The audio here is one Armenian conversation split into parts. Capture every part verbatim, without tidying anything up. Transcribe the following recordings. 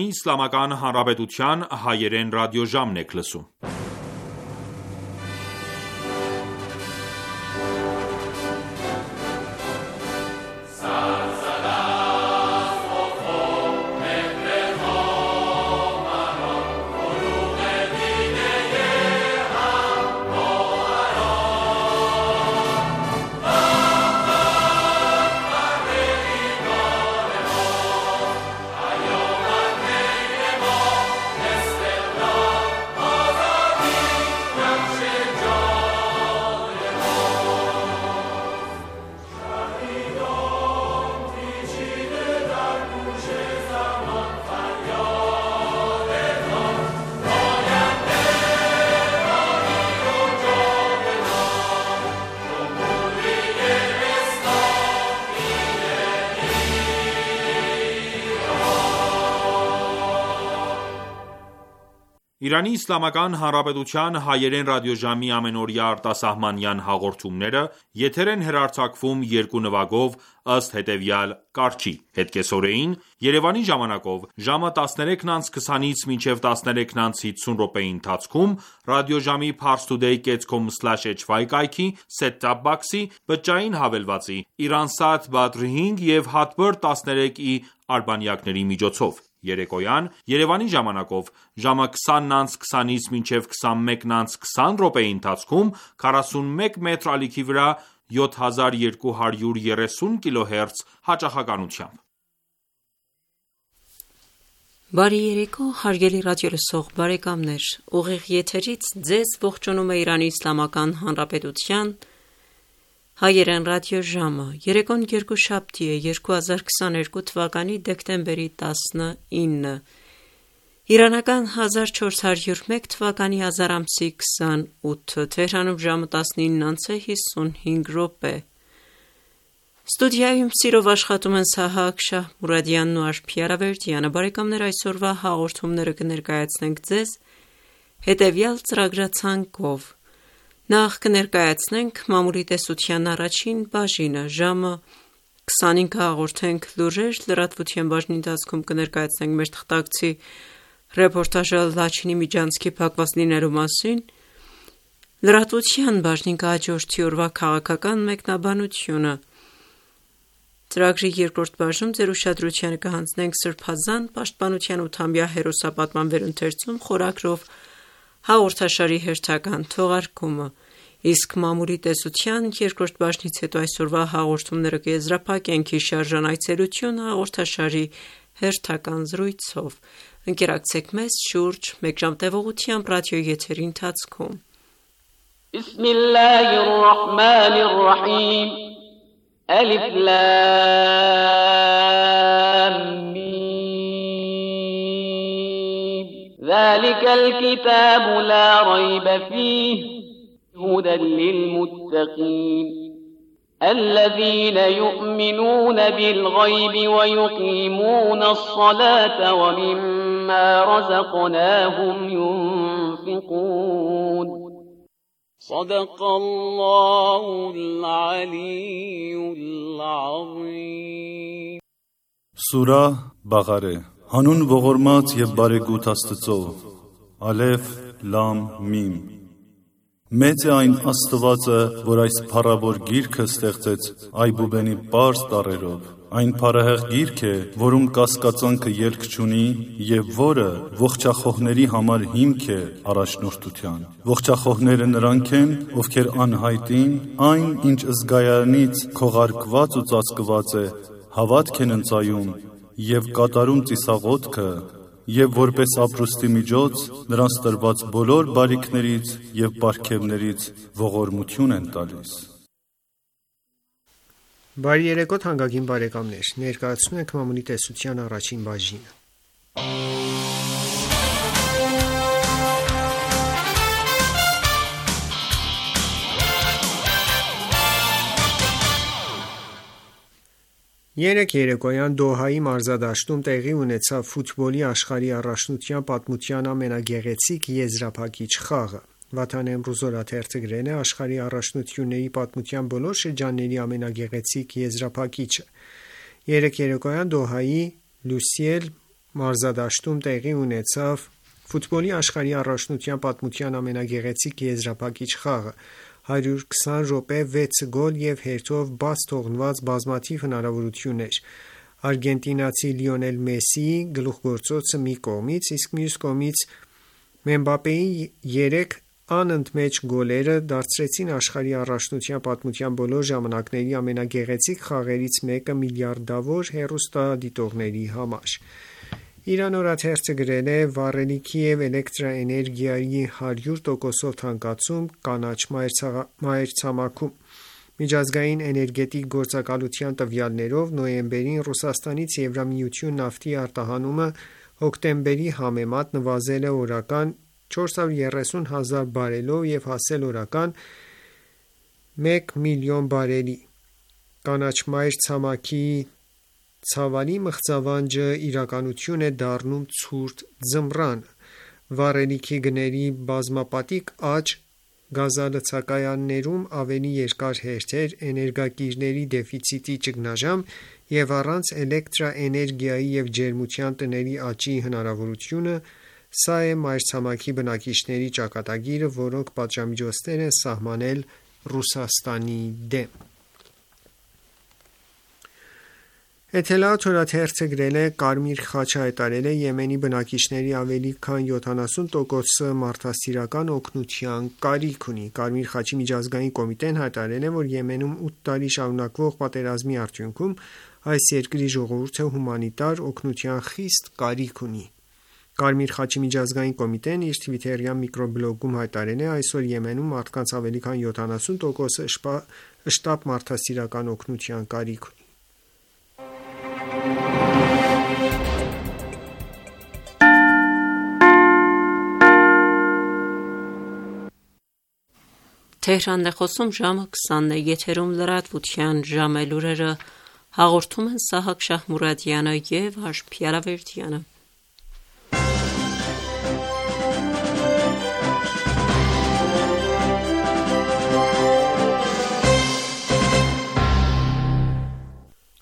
Իսլամական Հանրապետության հայերեն ռադիոժամն եք լսում: Իրանի Իսլամական Հանրապետության հայերեն ռադիոժամի ամենօրյա արտասահմանյան հաղորդումները եթեր են հեռարձակվում երկու նվագով ըստ հետևյալ կարգի՝ հեթկեսօրեին Երևանի ժամանակով ժամը տասներեքն անց քսանից մինչև տասներեքն անց հիսուն րոպեի ընթացքում ռադիոժամի parstoday dot com slash h y կայքի set-top box-ի բջջային հավելվածի Iransat Badr հինգ և Hotbird տասներեք ի արբանյակների միջոցով: Երեկոյան Երևանի ժամանակով ժամը քսանն անց քսանից մինչև քսանմեկն անց քսան րոպեի ընթացքում քառասունմեկ մետր ալիքի վրա յոթ հազար երկու հարյուր երեսուն կիլոհերց հաճախականությամբ: Բարի երեկո հարգելի ռադիոլսող բարեկամներ: Ուղիղ եթերից ձեզ ողջունում է Իրանի Իսլամական Հանրապետության հայերեն ռադիոժամը: Երեկոն երկուշաբթի է, երկու հազար քսաներկու թվականի դեկտեմբերի տասնինը, իրանական հազար չորս հարյուր մեկ թվականի ազար ամսի քսանութը, Թեհրանում ժամը տասնինն անց է հիսունհինգ րոպե: Ստուդիայում սիրով աշխատում են Սահակ Շահմուրադյանն ու Արփի Արավերդյանը: Բարեկամներ, այսօրվա հաղորդումները կներկայացնենք ձեզ հետևյալ ծրագրացանկով: Նախ կներկայացնենք մամուլի տեսության առաջին բաժինը, ժամը քսանինը կհաղորդենք լուրեր, լրատվության բաժնի ընթացքում կներկայացնենք մեր թղթակցի ռեպորտաժը Լաչինի միջանցքի փակված լինելու մասին, լրատվության բաժնին կհաջորդի օրվա քաղաքական մեկնաբանությունը: Ծրագրի երկրորդ բաժնում ձեր ուշադրությանը կհանձնենք Սրբազան պաշտպանության ութամյա հերոսապատման վերընթերցում խորագրով հաղորդաշարի հերթական թողարկումը, իսկ մամուլի տեսության երկրորդ բաժնից հետո այսօրվա հաղորդումները կեզրափակենք հիշարժան այցելություն հաղորդաշարի հերթական զրույցով: Ընկերակցեք մեզ շուրջ մեկ ժամ տևողությամբ ռադիոյի եթերի ընթացքում: ذلك الكتاب لا ريب فيه هدى للمتقين الذين يؤمنون بالغيب ويقيمون الصلاة ومما رزقناهم ينفقون صدق الله العلي العظيم Սուրահ Բաղարե Հանուն ողորմած և բարեգութ Աստծո, Ալեֆ, Լամ, Միմ: Մեծ է այն Աստվածը, որ այս փառավոր գիրքը ստեղծեց այբուբենի պարզ տառերով: Այն փառահեղ գիրք է, որում կասկածանքը ելք չունի և որը ողջախոհների համար հիմք է առաջնորդության: Ողջախոհները նրանք են, ովքեր անհայտին, այն ինչ զգայանից քողարկված ու ծածկված է, հավատք են ընծայում և կատարում ծիսաղոթքը և որպես ապրուստի միջոց նրանց տրված բոլոր բարիքներից և պարգևներից ողորմություն են տալիս: Բարի երեկո թանկագին բարեկամներ: Ներկայացնում ենք մամուլի տեսության առաջին բաժինը: Երեկ երեկոյան Դոհայի մարզադաշտում տեղի ունեցավ ֆուտբոլի աշխարհի առաջնության պատմության ամենագեղեցիկ եզրափակիչ խաղը: Վաթան Էմրուզ օրաթերթը գրել է. «Աշխարհի առաջնությունների պատմության բոլոր շրջանների ամենագեղեցիկ եզրափակիչը»: Երեկ երեկոյան Դոհայի Լուսիել մարզադաշտում տեղի ունեցավ ֆուտբոլի աշխարհի առաջնության պատմության ամենագեղեցիկ եզրափակիչ խաղը։ հարյուր քսան րոպե, վեց գոլ և հերթով բաց թողնված բազմաթիվ հնարավորություններ։ Արգենտինացի Լիոնել Մեսսիի գլուխգործոցը մի կողմից, իսկ մյուս կողմից Մբապեի երեք անընդմեջ գոլերը դարձրեցին աշխարհի առաջնության պատմության բոլոր ժամանակների ամենագեղեցիկ խաղերից մեկը միլիարդավոր հեռուստադիտողների համար։ Իրան օրաթերթը գրել է. «Վառելիքի և էլեկտրաէներգիայի հարյուր տոկոսով թանկացում կանաչ մայրցամաքում»։ Միջազգային էներգետիկ գործակալության տվյալներով նոյեմբերին Ռուսաստանից Եվրամիություն նավթի արտահանումը հոկտեմբերի համեմատ նվազել է օրական չորս հարյուր երեսուն հազար բարելով և հասել օրական մեկ միլիոն բարելի։ Կանաչ մայրցամաքի ցավալի մղձավանջը իրականություն է դառնում ցուրտ ձմռանը։ Վառելիքի գների բազմապատիկ աճ, գազալցակայաններում ավելի երկար հերթեր, էներգակիրների դեֆիցիտի ճգնաժամ և առանց էլեկտրաէներգիայի և ջերմության տների աճի հնարավորությունը, սա է մայրցամաքի բնակիչների ճակատագիրը, որոնք պատժամիջոցներ են սահմանել Ռուսաստանի դեմ։ Էթելաաթ օրաթերթը գրել է. «Կարմիր խաչը հայտարարել է Եմենի բնակիչների ավելի քան յոթանասուն տոկոսը մարդասիրական օգնության կարիք ունի։ Կարմիր խաչի միջազգային կոմիտեն հայտարարել է, որ Եմենում ութ տարի շարունակվող պատերազմի արդյունքում այս երկրի ժողովուրդը հումանիտար օգնության խիստ կարիք ունի։ Կարմիր խաչի միջազգային կոմիտեն իր թվիթերյան միկրոբլոգում հայտարարել է. «Այսօր Եմենում մարդկանց ավելի քան յոթանասուն տոկոսը շտապ մարդասիրական օգնության կարիք ունի»։ Թեհրանն է խոսում, ժամը քսանն է, եթերում լրատվության ժամ է, լուրերը հաղորդում են Սահակ Շահմուրադյանը և Հաշ Փիարավերդյանը։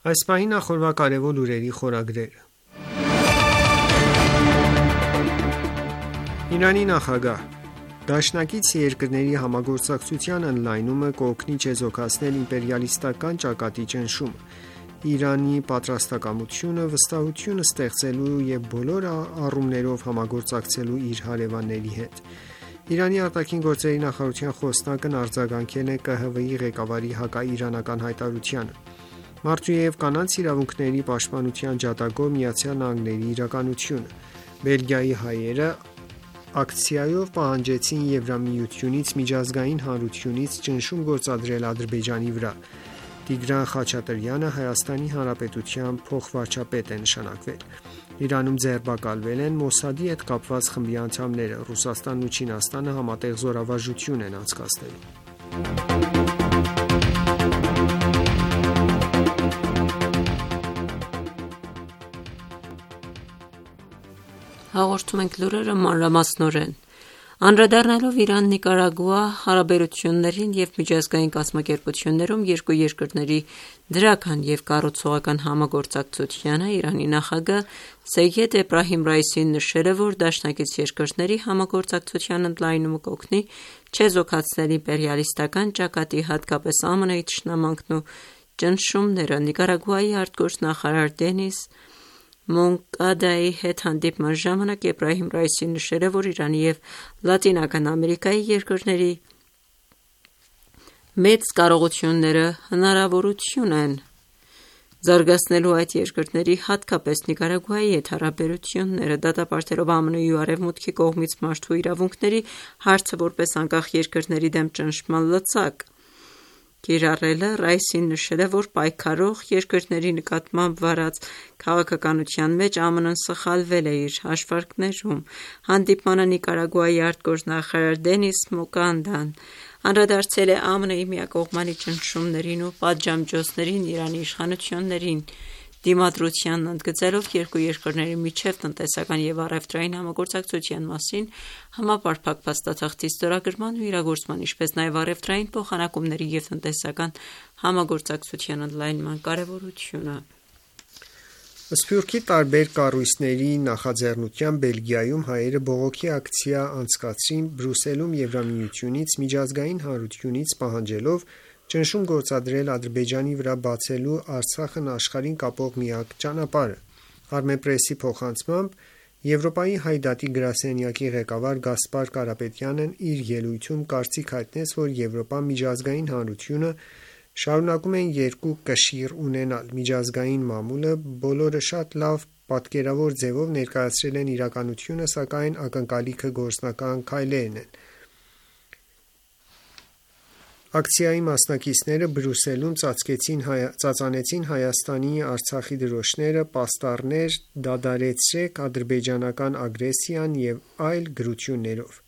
Այս պահին նախորդ կարևոր լուրերի խորագրերը։ Իրանի նախագահ. Դաշնակից երկրների համագործակցության ընդլայնումը կօգնի չեզոքացնել իմպերիալիստական ճակատի ճնշումը։ Իրանի պատրաստակամությունը վստահություն ստեղծելու և բոլոր առումներով համագործակցելու իր հարևանների հետ։ Իրանի արտաքին գործերի նախարարության խոսնակն արձագանքել է Կ Հ V-ի ղեկավարի հակաիրանական հայտարարությանը։ Մարդու և կանանց իրավունքների պաշտպանության ջատագով Միացյալ Նահանգների իրականությունը։ Բելգիայի հայերը ակցիայով պահանջեցին Եվրամիությունից միջազգային հանրությունից ճնշում գործադրել Ադրբեջանի վրա։ Տիգրան Խաչատրյանը Հայաստանի Հանրապետության փոխվարչապետ է նշանակվել։ Իրանում ձերբակալվել են Մոսադի հետ կապված խմբի անդամները։ Ռուսաստանն ու Չինաստանը համատեղ զորավարժություն են անցկացնելու։ Հաղորդում ենք լուրերը մանրամասնորեն։ Անդրադառնալով Իրան-Նիկարագուա հարաբերություններին և միջազգային կազմակերպություններում երկու երկրների դրական և կառուցողական համագործակցությանը, Իրանի նախագահ Սեյեդ Էբրահիմ Ռայիսին նշել է, որ դաշնակից երկրների համագործակցության ընդլայնումը կօգնի չեզոքացնել իմպերիալիստական ճակատի, հատկապես Ամն Ի թշնամանքն ու ճնշումները։ Նիկարագուայի արտգործնախարար Դենիս Մոնկադայի հետ հանդիպման ժամանակ Էբրահիմ Ռայիսին նշել է, որ Իրանի և Լատինական Ամերիկայի երկրների մեծ կարողությունները հնարավորություն են զարգացնելու այդ երկրների, հատկապես Նիկարագուայի հետ հարաբերությունները։ Դատապարտելով ԱՄՆ-ի ու Արևմուտքի կողմից մարդու իրավունքների հարցը որպես անկախ երկրների դեմ ճնշման լծակ կիրառելը, Ռայիսին նշել է, որ պայքարող երկրների նկատմամբ վարած քաղաքականության մեջ ԱՄՆ-ն սխալվել է իր հաշվարկներում։ Հանդիպմանը Նիկարագուայի արտգործնախարար Դենիս Մոկանդան անդրադարձել է ԱՄՆ-ի միակողմանի ճնշումներին ու պատժամիջոցներին Իրանի իշխանություններին դիմադրությանն, ընդգծելով երկու երկրների միջև տնտեսական և առևտրային համագործակցության մասին համապարփակ փաստաթղթի ստորագրման ու իրագործման, ինչպես նաև առևտրային փոխանակումների և տնտեսական համագործակցության ընդլայնման կարևորությունը։ Սփյուռքի տարբեր կառույցների նախաձեռնությամբ Բելգիայում հայերը բողոքի ակցիա անցկացրին Բրյուսելում Եվրամիությունից միջազգային հանրությունից պահանջելով ճնշում գործադրել Ադրբեջանի վրա բացելու Արցախն աշխարհին կապող միակ ճանապարհը։ Armenpress-ի փոխանցմամբ Եվրոպայի հայ դատի գրասենյակի ղեկավար Գասպար Կարապետյանն իր ելույթում կարծիք հայտնեց, որ Եվրոպա միջազգային հանրությունը շարունակում են երկու կշիռ ունենալ։ Միջազգային մամուլը բոլորը շատ լավ պատկերավոր ձևով ներկայացրել են իրականությունը, սակայն ակնկալիքը գործնական քայլերն են։ Ակցիայի մասնակիցները Բրյուսելում ծածկեցին ծածանեցին Հայաստանի Արցախի դրոշները, պաստառներ, դադարեցրեք ադրբեջանական ագրեսիան եւ այլ գրություններով։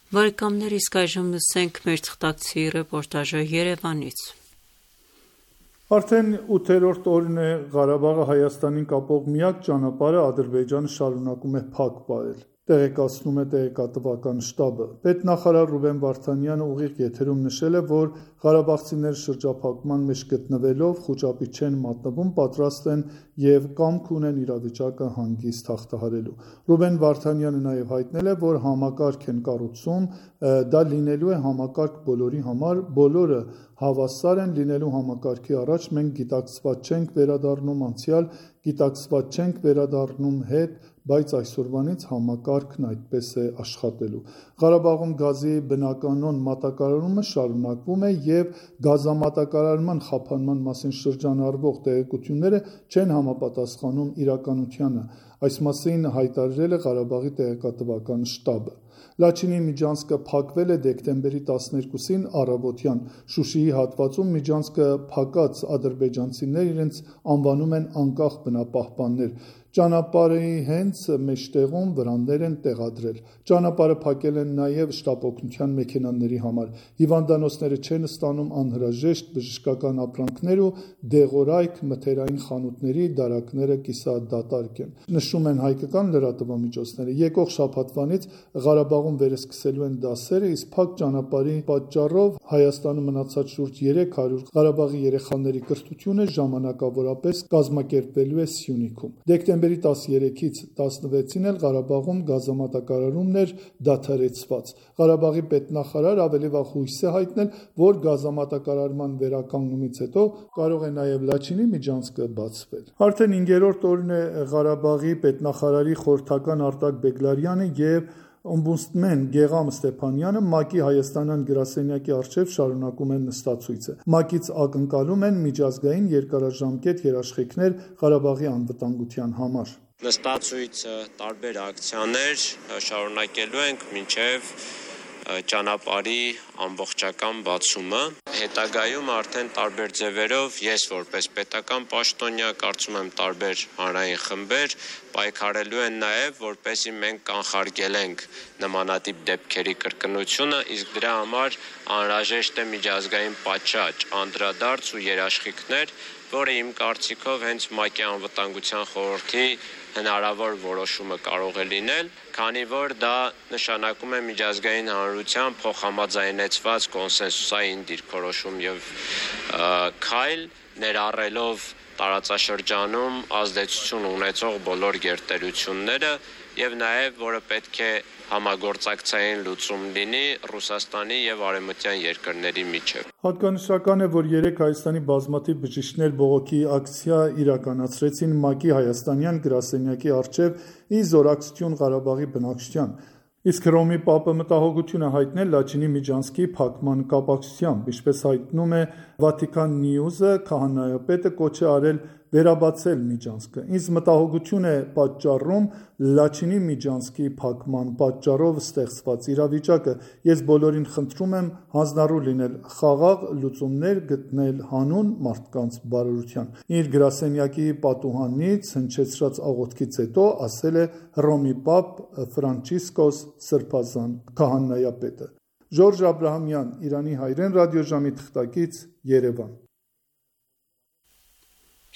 Բարեկամներ, իսկ այժմ լսենք մեր թղթակցի ռեպորտաժը Երևանից։ Արդեն ութերորդ օրն է Ղարաբաղը Հայաստանին կապող միակ ճանապարհը Ադրբեջանը շարունակում է փակ պահել, տեղեկացնում է տեղեկատվական շտաբը։ Պետնախարար Ռուբեն Վարդանյանը ուղիղ եթերում նշել է, որ ղարաբաղցիները շրջափակման մեջ գտնվելով խուճապի չեն մատնվում, պատրաստ են եւ կամք ունեն իրավիճակը հանգիստ հաղթահարելու։ Ռուբեն Վարդանյանը նաեւ հայտնել է, որ համակարգ են կառուցում, դա լինելու է համակարգ բոլորի համար, բոլորը հավասար են լինելու համակարգի առաջ, մենք գիտակցված չենք վերադառնում անցյալ, գիտակցված չենք վերադառնում հետ, բայց այսօրվանից համակարգն այդպես է աշխատելու։ Ղարաբաղում գազի բնականոն մատակարարումը շարունակվում է եւ գազամատակարարման խափանման մասին շրջանառվող տեղեկությունները չեն համապատասխանում իրականությանը։ Այս մասին հայտարարել է Ղարաբաղի տեղեկատվական շտաբը։ Լաչինի միջանցքը փակվել է դեկտեմբերի տասներկուսին առավոտյան։ Շուշիի հատվածում միջանցքը փակած ադրբեջանցիներ իրենց անվանում են անկախ բնապահպաններ։ Ճանապարհի հենց մեջտեղում վրաններ են տեղադրել։ Ճանապարհը փակել են նաև շտապօգնության մեքենաների համար։ Հիվանդանոցները չեն ստանում անհրաժեշտ բժշկական ապրանքներ ու դեղորայք, մթերային խանութների դարակները կիսադատարկ են։ Նշում են հայկական լրատվամիջոցները։ Եկող շաբաթվանից Ղարաբաղում վերսկսելու են դասերը, իսկ փակ ճանապարհի պատճառով Հայաստանում մնացած շուրջ երեք հարյուր Ղարաբաղի երեխաների կրթությունը ժամանակավորապես կազմակերպվելու է Սյունիքում։ Դեկտեմբերի տասներեքից տասնվեցին էլ Ղարաբաղում գազամատակարարումն էր դադարեցված։ Ղարաբաղի պետնախարար ավելի վաղ հույս է հայտնել, որ գազամատակարարման վերականգնումից հետո կարող է նաև Լաչինի միջանցքը բացվել։ Արդեն հինգերորդ օրն է Ղարաբաղի պետնախարարի խորհրդական Արտակ Բեգլարյանը եւ Օմբուդսմեն Գեգամ Ստեփանյանը ՄԱԿ-ի հայաստանյան գրասենյակի առջև շարունակում են նստացույցը։ ՄԱԿ-ից ակնկալում են միջազգային երկարաժամկետ երաշխիքներ Ղարաբաղի անվտանգության համար։ Նստացույցը տարբեր ակցիաներ շարունակելու ենք մինչև ճանապարհի ամբողջական բացումը։ Հետագայում արդեն տարբեր ձևերով ես որպես պետական պաշտոնյա, կարծում եմ տարբեր հանրային խմբեր պայքարելու են նաև, որպեսզի մենք կանխարգելենք նմանատիպ դեպքերի կրկնությունը, իսկ դրա համար անհրաժեշտ է միջազգային պատշաճ, անդրադարձ ու երաշխիքներ, որը իմ կարծիքով հենց ՄԱԿ-ի անվտանգության խորհրդի հնարավոր որոշումը կարող է լինել, քանի որ դա նշանակում է միջազգային հանրության փոխհամաձայնեցված կոնսենսուսային դիրքորոշում եւ քայլ, ներառելով տարածաշրջանում ազդեցություն ունեցող բոլոր գերտերությունները եւ նաեւ որը պետք է համագործակցային լուծում լինի Ռուսաստանի եւ արևմտյան երկրների միջեւ։ Հատկանշական է, որ երեք Հայաստանի բազմաթիվ բժիշկներ բողոքի ակցիա իրականացրեցին ՄԱԿ-ի հայաստանյան գրասենյակի առջև ի զորակցություն Ղարաբաղի բնակչության։ Իսկ Հռոմի Պապը մտահոգություն է հայտնել Լաչինի միջանցքի փակման կապակցությամբ, ինչպես հայտնում է Վատիկան Նյուզը, քահանայապետը կոչ է արել վերաբացել միջանցքը։ Ինձ մտահոգություն է պատճառում Լաչինի միջանցքի փակման պատճառով ստեղծված իրավիճակը։ Ես բոլորին խնդրում եմ հանձնառու լինել, խաղաղ լուծումներ գտնել հանուն մարդկանց բարօրության։ Իր գրասենյակի պատուհանից հնչեցրած աղոթքից հետո ասել է Հռոմի Պապ Ֆրանցիսկոս Սրբազան քահանայապետը։ Ժորժ Աբրահամյան, Իրանի հայրեն ռադիոժամի թղթակից, Երևան։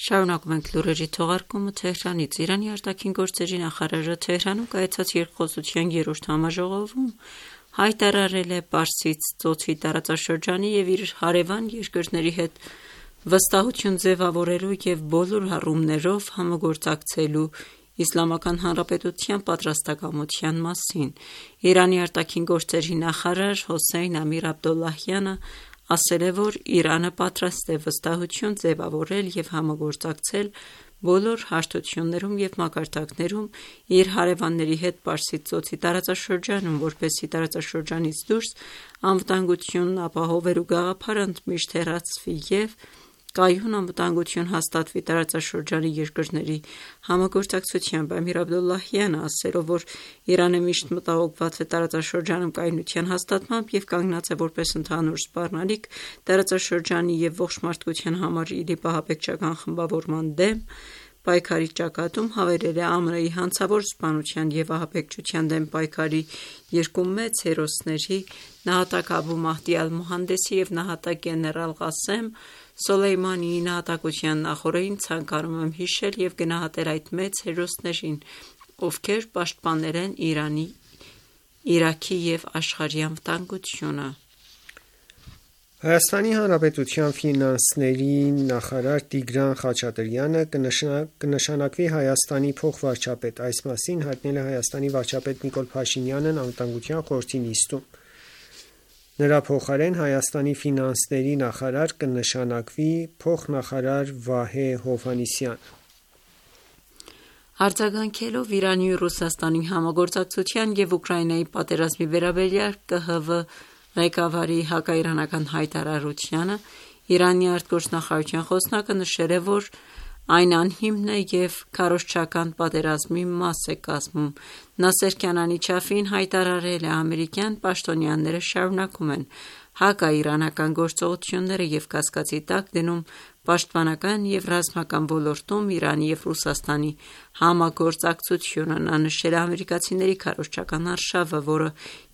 Շարունակում ենք լուրերի թողարկումը Թեհրանից։ Իրանի արտաքին գործերի նախարարը Թեհրանում կայացած երկխոսության երրորդ համաժողովում հայտարարել է Պարսից ծոցի տարածաշրջանի եւ իր հարևան երկրների հետ վստահություն ձևավորելու և բոլոր առումներով համագործակցելու Իսլամական Հանրապետության պատրաստակամության մասին։ Իրանի արտաքին գործերի նախարար Հոսեյն Ամիր Աբդոլլահյանը ասել է, որ Իրանը պատրաստ է վստահություն ձևավորել և համագործակցել բոլոր հարթություններում և մակարդակներում իր հարևանների հետ Պարսից ծոցի տարածաշրջանում, որպեսզի տարածաշրջանից դուրս անվտանգությունն ապահովելու գաղափարը ընդմիշտ հեռացվի և կայուն անվտանգություն հաստատվի տարածաշրջանի երկրների համագործակցությամբ։ Ամիր Աբդոլլահյանը ասելով, որ Իրանը միշտ մտահոգված է տարածաշրջանում կայունության հաստատմամբ և կանգնած է որպես ընդհանուր սպառնալիք տարածաշրջանի և ողջ մարդկության համար ԻԼԻՊ ահաբեկչական խմբավորման դեմ պայքարի ճակատում, հավելել է ԱՄՆ-ի հանցավոր սպանության և ահաբեկչության դեմ պայքարի երկու մեծ հերոսների՝ նահատակ Աբու Մահդի Ալ-Մուհանդեսի և նահատակ գեներալ Ղասեմ Սոլեյմանիի նահատակության նախօրեին ցանկանում եմ հիշել և գնահատել այդ մեծ հերոսներին, ովքեր պաշտպանել են Իրանի, Իրաքի և աշխարհի անվտանգությունը։ Հայաստանի Հանրապետության ֆինանսների նախարար Տիգրան Խաչատրյանը կնշանակվի Հայաստանի փոխվարչապետ։ Այս մասին հայտնել է Հայաստանի վարչապետ Նիկոլ Փաշինյանն Անվտանգության խորհրդի նիստում։ Նրա փոխարեն Հայաստանի ֆինանսների նախարար կնշանակվի փոխնախարար Վահե Հովհաննիսյանը։ Արձագանքելով Իրանի ու Ռուսաստանի համագործակցության և Ուկրաինայի պատերազմի վերաբերյալ Կ Հ V ղեկավարի հակաիրանական հայտարարությանը, Իրանի արտգործնախարարության խոսնակը նշել է, որ այն անհիմն է և քարոզչական պատերազմի մաս է կազմում։ Նասեր Քանանի Չաֆին հայտարարել է. «Ամերիկյան պաշտոնյաները շարունակում են հակաիրանական գործողությունները և կասկածի տակ դնում պաշտպանական և ռազմական ոլորտում Իրանի և Ռուսաստանի համագործակցությունը»։ Նա նշել է ամերիկացիների քարոզչական արշավը, որը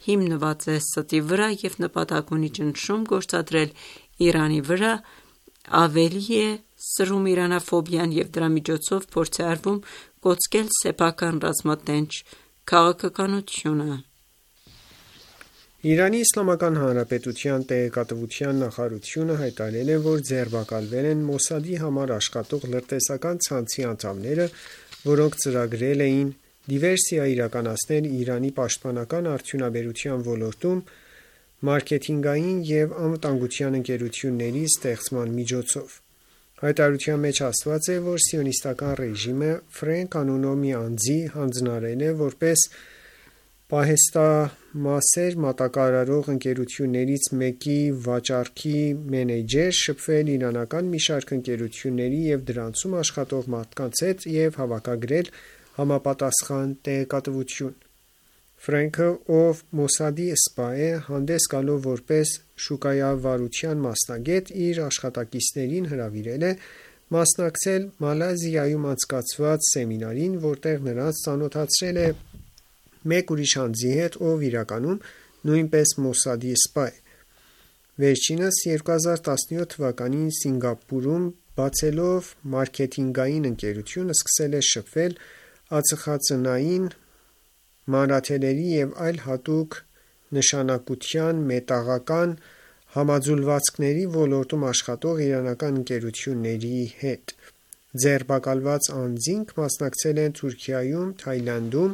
հիմնված է ստի վրա և նպատակ ունի ճնշում գործադրել Իրանի վրա, ավելի է սրում իրանաֆոբիան և դրա միջոցով փորձ է արվում կոծկել սեփական ռազմատենչ քաղաքականությունը։ Իրանի Իսլամական Հանրապետության տեղեկատվության նախարարությունը հայտարարել է, որ ձերբակալվել են Մոսադի համար աշխատող լրտեսական ցանցի անդամները, որոնք ծրագրել էին դիվերսիա իրականացնել Իրանի պաշտպանական արդյունաբերության ոլորտում մարքեթինգային և անվտանգության ընկերությունների ստեղծման միջոցով։ Հայտարարության մեջ ասված է, որ Սիոնիստական ռեժիմը Ֆրենք անունով մի անձի հանձնարարել է որպես պահեստամասեր մատակարարող ընկերություններից մեկի վաճառքի մենեջեր շփվել իրանական մի շարք ընկերությունների և դրանցում աշխատող մարդկանց հետ և հավաքագրել համապատասխան տեղեկատվություն։ Ֆրենքը, ով Մոսադի սպա է, հանդես գալով որպես շուկայավարության մասնագետ, իր աշխատակիցներին հրավիրել է մասնակցել Մալայզիայում անցկացված սեմինարին, որտեղ նրանց ծանոթացրել է մեկ ուրիշ անձի հետ, ով իրականում նույնպես Մոսադի սպա է։ Վերջինս երկու հազար տասնյոթ թվականին Սինգապուրում բացելով մարքեթինգային ընկերություն, սկսել է շփվել ածխածնային, մանրաթելերի և այլ հատուկ նշանակության մետաղական համաձուլվածքների ոլորտում աշխատող իրանական ընկերությունների հետ։ Ձերբակալված անձինք մասնակցել են Թուրքիայում, Թայլանդում,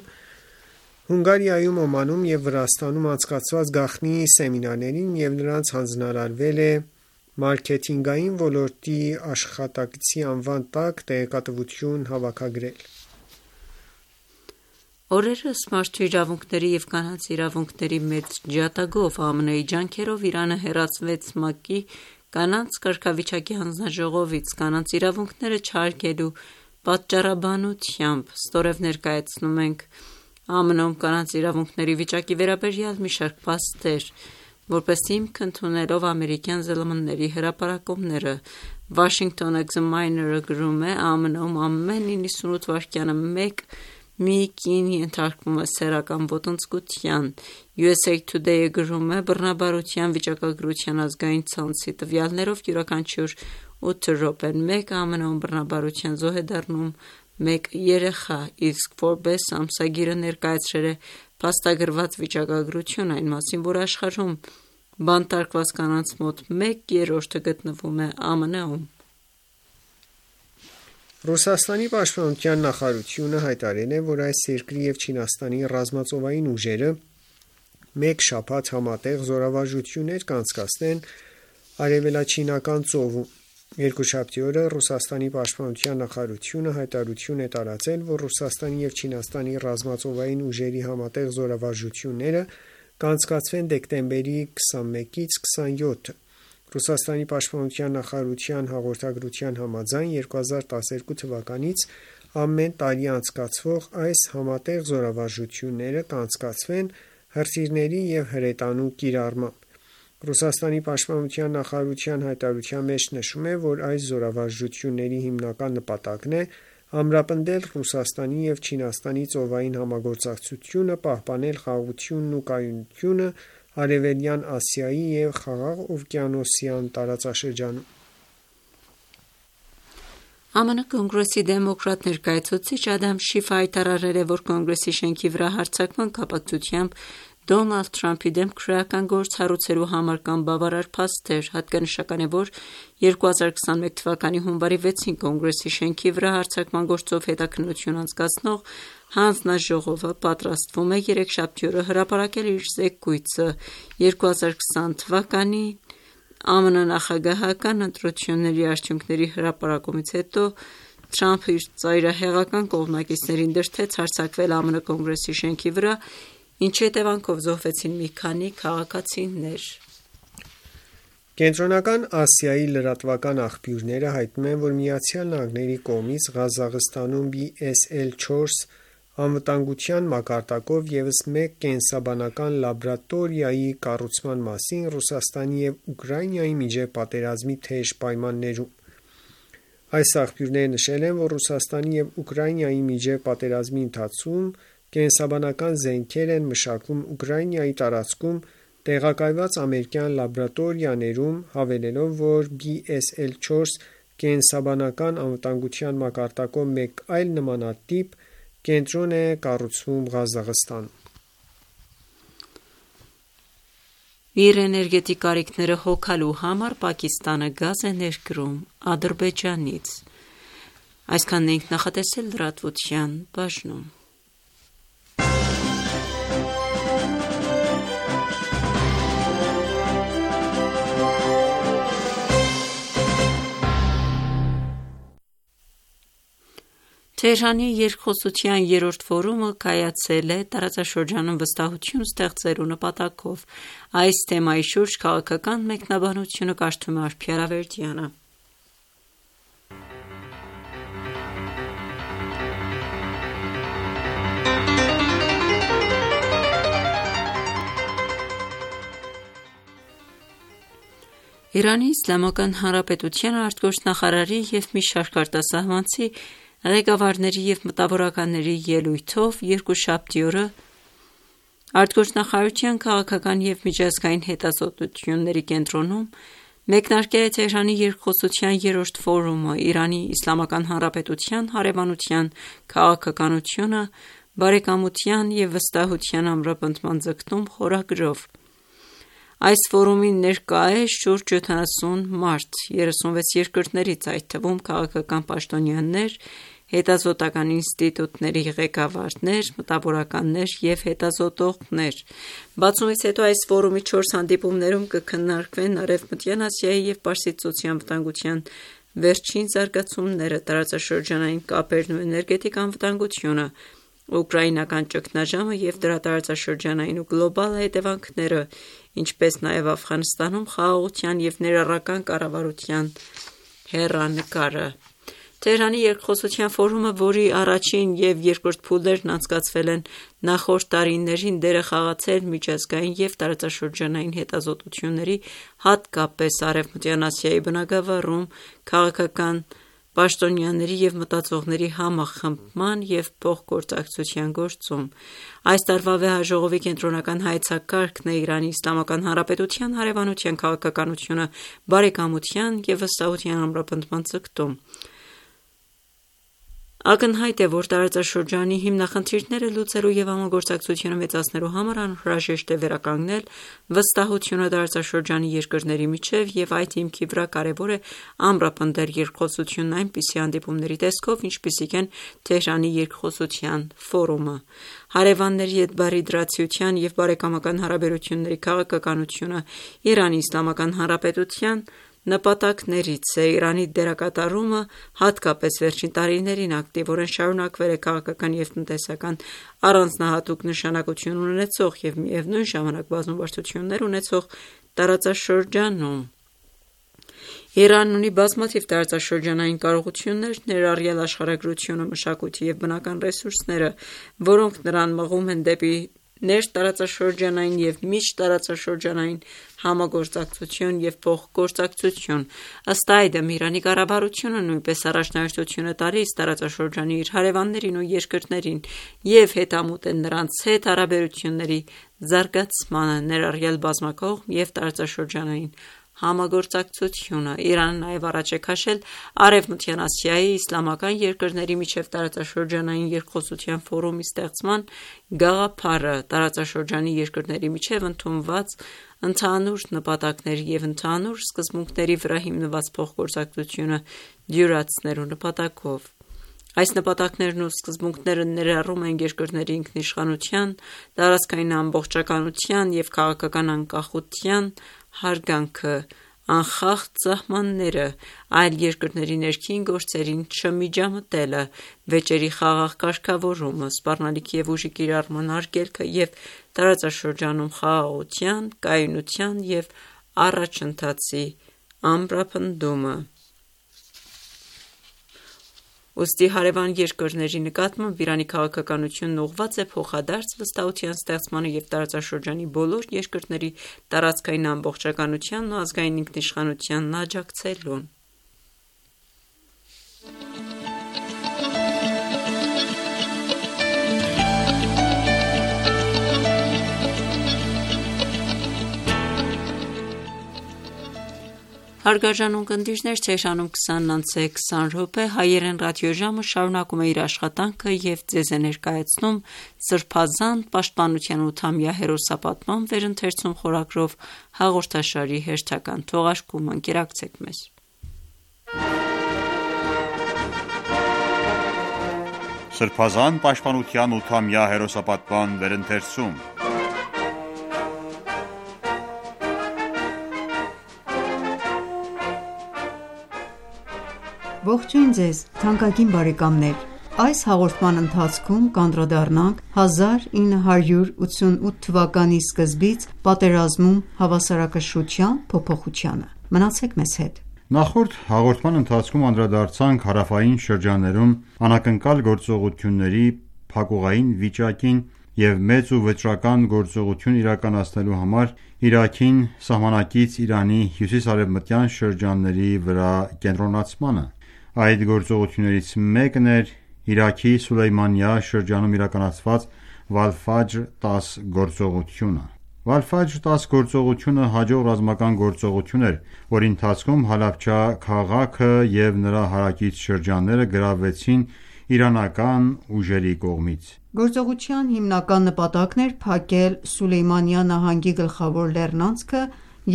Հունգարիայում, Օմանում և Վրաստանում անցկացված գաղտնի սեմինարներին և նրանց հանձնարարվել է մարքեթինգային ոլորտի աշխատակցի անվան տակ տեղեկատվություն հավաքագրել։ Օրերս մարդու իրավունքների և կանանց իրավունքների մեծ ջատագով ԱՄՆ-ի ջանքերով Իրանը հեռացվեց ՄԱԿ-ի կանանց կարգավիճակի հանձնաժողովից կանանց իրավունքները չհարգելու պատճառաբանությամբ։ Ստորև ներկայացնում ենք ԱՄՆ-ում կանանց իրավունքների վիճակի վերաբերյալ մի շարք փաստեր, որպես հիմք ընդունելով ամերիկյան ԶԼՄ-ների հրապարակումները։ Washington Examiner-ը գրում է. «ԱՄՆ-ում ամեն իննսունութ վայրկյանը մեկ մի կին ենթարկվում է սեռական ոտնձգության»։ U S A Today-ը գրում է. «Բռնաբարության վիճակագրության ազգային ցանցի տվյալներով յուրաքանչյուր ութ րոպեն մեկ ԱՄՆ-ում բռնաբարության զոհ է դառնում մեկ երեխա», իսկ Forbes ամսագիրը ներկայացրել է փաստագրված վիճակագրություն այն մասին, որ աշխարհում բանտարկված կանանց մոտ մեկ երրորդը գտնվում է ԱՄՆ-ում։ Ռուսաստանի պաշտպանության նախարարությունը հայտարարել է, որ այս երկրի և Չինաստանի ռազմածովային ուժերը մեկ շաբաթ համատեղ զորավարժություններ կանցկացնեն Արևելաչինական ծովում։ Երկուշաբթի օրը Ռուսաստանի պաշտպանության նախարարությունը հայտարարություն է տարածել, որ Ռուսաստանի և Չինաստանի ռազմածովային ուժերի համատեղ զորավարժությունները կանցկացվեն դեկտեմբերի քսանմեկից քսանյոթը։ Ռուսաստանի պաշտպանության նախարարության հաղորդագրության համաձայն երկու հազար տասներկու թվականից ամեն տարի անցկացվող այս համատեղ զորավարժությունները կանցկացվեն հրթիռների և հրետանու կիրառմամբ։ Ռուսաստանի պաշտպանության նախարարության հայտարարության մեջ նշվում է, որ այս զորավարժությունների հիմնական նպատակն է ամրապնդել Ռուսաստանի և Չինաստանի ծովային համագործակցությունը, պահպանել խաղաղությունն ու կայունությունը Արևելյան Ասիայի և Խաղաղօվկիանոսյան տարածաշրջանում։ ԱՄՆ Կոնգրեսի դեմոկրատ ներկայացուցիչ Ադամ Շիֆը հայտարարել է, որ Կոնգրեսի շենքի վրա հարձակման կապակցությամբ Դոնալդ Թրամփի դեմ քրեական գործ հարուցելու համար կան բավարար փաստեր։ Հատկանշական է, որ երկու հազար քսանմեկ թվականի հունվարի վեցին Կոնգրեսի շենքի վրա հարձակման գործով հետաքննություն անցկացնող հանձնաժողովը պատրաստվում է երեքշաբթի օրը հրապարակել իր զեկույցը երկու հազար քսան թվականի ԱՄՆ նախագահական ընտրությունների արդյունքների հրապարակումից հետո Թրամփը իր ծայրահեղական կողմնակիցներին դրդեց հարձակվել ԱՄՆ Կոնգրեսի շենքի վրա, ինչի հետևանքով զոհվեցին մի քանի քաղաքացիներ։ Կենտրոնական Ասիայի լրատվական աղբյուրները հայտնում են, որ Միացյալ Նահանգների կողմից Ղազախստանում B S L չորս անվտանգության մակարդակով ևս մեկ կենսաբանական լաբորատորիայի կառուցման մասին Ռուսաստանի և Ուկրաինայի միջև պատերազմի թեժ պայմաններում։ Այս աղբյուրները նշել են, որ Ռուսաստանի և Ուկրաինայի միջև պատերազմի ընթացքում կենսաբանական զենքեր են մշակվում Ուկրաինայի տարածքում տեղակայված ամերիկյան լաբորատորիաներում, հավելելով, որ B S L չորս կենսաբանական անվտանգության մակարդակով մեկ այլ նմանատիպ կենտրոն է կառուցվում Ղազախստանում։ Իր էներգետիկ կարիքները հոգալու համար Պակիստանը գազ է ներկրում Ադրբեջանից։ Այսքանն ենք նախատեսել լրատվության բաժնում։ Թեհրանի երկխոսության երրորդ ֆորումը կայացել է տարածաշրջանում վստահություն ստեղծելու նպատակով։ Այս թեմայի շուրջ քաղաքական մեկնաբանությունը կարդում է Արփի Արավերդյանը։ Իրանի Իսլամական Հանրապետության արտգործնախարարի և մի շարք արտասահմանցի ղեկավարների և մտավորականների ելույթով երկուշաբթի օրը արտգործնախարարության քաղաքական և միջազգային հետազոտությունների կենտրոնում մեկնարկել է Թեհրանի երկխոսության երրորդ ֆորումը՝ Իրանի Իսլամական Հանրապետության հարևանության քաղաքականությունը, բարեկամության և վստահության ամրապնդման ձգտում խորագրով։ Այս ֆորումին ներկա է շուրջ յոթանասուն մարդ երեսունվեց երկրներից, այդ թվում քաղաքական պաշտոնյաներ, հետազոտական ինստիտուտների ղեկավարներ, մտավորականներ և հետազոտողներ։ Բացումից հետո այս ֆորումի չորս հանդիպումներում կքննարկվեն Արևմտյան Ասիայի և Պարսից ծոցի անվտանգության վերջին զարգացումները, տարածաշրջանային կապերն ու էներգետիկ անվտանգությունը, ուկրաինական ճգնաժամը և դրա տարածաշրջանային ու գլոբալ հետևանքները, ինչպես նաև Աֆղանստանում խաղաղության և ներառական կառավարության հեռանկարը։ Թեհրանի երկխոսության ֆորումը, որի առաջին և երկրորդ փուլերն անցկացվել են նախորդ տարիներին, դեր է խաղացել միջազգային և տարածաշրջանային հետազոտությունների, հատկապես Արևմտյան Ասիայի բնագավառում, քաղաքական պաշտոնյաների և մտածողների համախմբման և փոխգործակցության գործում։ Այս տարվա վեհաժողովի կենտրոնական հայեցակարգն է Իրանի Իսլամական Հանրապետության հարևանության քաղաքականությունը, բարեկամության և վստահության ամրապնդման ձգտում։ Ակնհայտ է, որ տարածաշրջանի հիմնախնդիրները լուծելու և համագործակցությունը մեծացնելու համար անհրաժեշտ է վերականգնել վստահությունը տարածաշրջանի երկրների միջև և այդ հիմքի վրա կարևոր է ամրապնդել երկխոսությունն այնպիսի հանդիպումների տեսքով, ինչպիսիք են Թեհրանի երկխոսության ֆորումը: Հարևանների հետ բարիդրացիության և բարեկամական հարաբերությունների քաղաքականությունը Իրանի Իսլամական Հանրապետության նպատակներից է: Իրանի դերակատարումը, հատկապես վերջին տարիներին, ակտիվորեն շարունակվել է քաղաքական և տնտեսական առանձնահատուկ նշանակություն ունեցող և միևնույն ժամանակ բազմաբարձություններ ունեցող տարածաշրջանում: Իրանն ունի բազմաթիվ տարածաշրջանային կարողություններ, ներառյալ աշխարհագրությունը, մշակույթը և բնական ռեսուրսները, որոնք նրան մղում են դեպի ներտարածաշրջանային և միջտարածաշրջանային համագործակցություն և փոխգործակցություն: Ըստ այդմ, Իրանի կառավարությունը նույնպես առաջնահերթություն է տալիս տարածաշրջանի իր հարևաններին ու երկրներին և հետամուտ է նրանց հետ հարաբերությունների զարգացմանը, ներառյալ բազմակողմ և տարածաշրջանային համագործակցությունը: Իրանը նաև առաջ է քաշել Արևմտյան Ասիայի իսլամական երկրների միջև տարածաշրջանային երկխոսության ֆորումի ստեղծման գաղափարը: Տարածաշրջանի երկրների միջև ընդունված ընդհանուր նպատակների և ընդհանուր սկզբունքների վրա հիմնված փոխգործակցությունը դյուրացնելու նպատակով: Այս նպատակներն ու սկզբունքները ներառում են երկրների ինքնիշխանության, տարածքային ամբողջականության և քաղաքական անկախության հարգանքը, անխախտ սահմանները, այլ երկրների ներքին գործերին չմիջամտելը, վեճերի խաղաղ կարգավորումը, սպառնալիքի և ուժի կիրառման արգելքը և տարածաշրջանում խաղաղության, կայունության և առաջընթացի ամրապնդումը: Ուստի հարևան երկրների նկատմամբ Իրանի քաղաքականությունն ուղղված է փոխադարձ վստահության ստեղծմանը և տարածաշրջանի բոլոր երկրների տարածքային ամբողջականությանն ու ազգային ինքնիշխանությանն աջակցելուն: Հարգարժան ունկնդիրներ, Թեհրանում քսանն անց է քսան րոպե, հայերեն ռադիոժամը շարունակում է իր աշխատանքը և ձեզ է ներկայացնում Սրբազան պաշտպանության ութամյա հերոսապատման վերընթերցում խորագրով հաղորդաշարի հերթական թողարկումը: Ընկերակցեք մեզ: Սրբազան պաշտպանության ութամյա հերոսապատման վերընթերցում Ողջույն ձեզ թանկագին բարեկամներ: Այս հաղորդման ընթացքում կանդրադառնանք հազար ինը հարյուր ութսունութ թվականի սկզբից պատերազմում հավասարակշռության փոփոխությանը: Մնացեք մեզ հետ: Նախորդ հաղորդման ընթացքում անդրադարձանք հարավային շրջաններում անակնկալ գործողությունների փակուղային վիճակին և մեծ ու վճռական գործողություն իրականացնելու համար Իրաքին սահմանակից Իրանի հյուսիս-արևմտյան շրջանների վրա կենտրոնացմանը: Այդ գործողություններից մեկն էր Իրաքի Սուլեյմանիա շրջանում իրականացված Վալ-Ֆաջր տաս գործողությունը: Վալ-Ֆաջր տաս գործողությունը հաջող ռազմական գործողություն էր, որի ընթացքում Հալաբջա քաղաքը և նրա հարակից շրջանները գրավվեցին իրանական ուժերի կողմից: Գործողության հիմնական նպատակն էր փակել Սուլեյմանիա նահանգի գլխավոր լեռնանցքը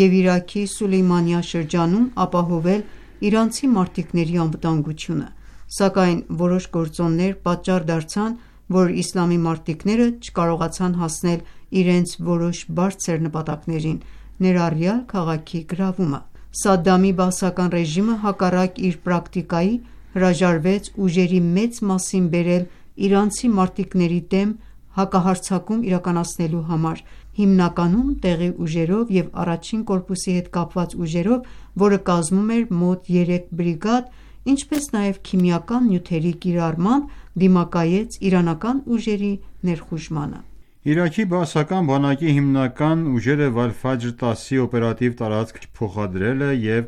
և Իրաքի Սուլեյմանիա շրջանում ապահովել իրանցի մարտիկների անվտանգությունը, սակայն որոշ գործոններ պատճառ դարձան, որ իսլամի մարտիկները չկարողացան հասնել իրենց որոշ բարձր նպատակներին, ներառյալ քաղաքի գրավումը: Սադդամի բաասական ռեժիմը հակառակ իր պրակտիկայի հրաժարվեց ուժերի մեծ մասին բերել իրանցի մարտիկների դեմ հակահարձակում իրականացնելու համար, հիմնականում տեղի ուժերով և առաջին կորպուսի հետ կապված ուժերով, որը կազմում էր մոտ երեք բրիգադ, ինչպես նաև քիմիական նյութերի կիրառմամբ դիմակայեց իրանական ուժերի ներխուժմանը: Իրաքի բաասական բանակի հիմնական ուժերը Վալ-Ֆաջր տասի օպերատիվ տարածք չփոխադրելը և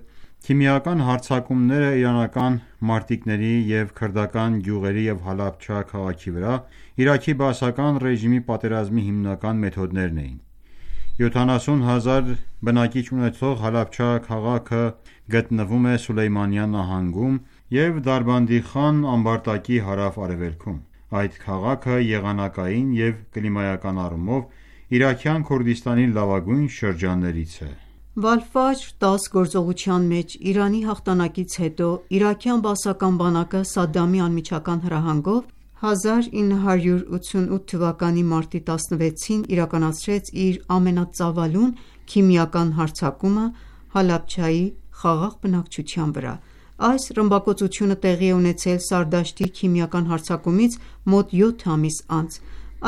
քիմիական հարձակումները իրանական մարտիկների և քրդական գյուղերի և Հալաբջա քաղաքի վրա Իրաքի բաասական ռեժիմի պատերազմի հիմնական մեթոդներն էին: յոթանասուն հազար բնակիչ ունեցող Հալաբջա քաղաքը գտնվում է Սուլեյմանիա նահանգում և Դարբանդի խան ամբարտակի հարավ-արևելքում։ Այդ քաղաքը եղանակային և կլիմայական առումով Իրաքյան Քուրդիստանի լավագույն շրջաններից է։ Վալֆաջր դաս գործողության մեջ Իրանի հաղթանակից հետո իրաքյան բաասական բանակը Սադամի անմիջական հրահանգով հազար ինը հարյուր ութսունութ թվականի մարտի տասնվեցին իրականացրեց իր ամենածավալուն քիմիական հարձակումը Հալաբջայի խաղաղ բնակչության վրա։ Այս ռմբակոծությունը տեղի է ունեցել Սարդաշտի քիմիական հարձակումից մոտ յոթ ամիս անց։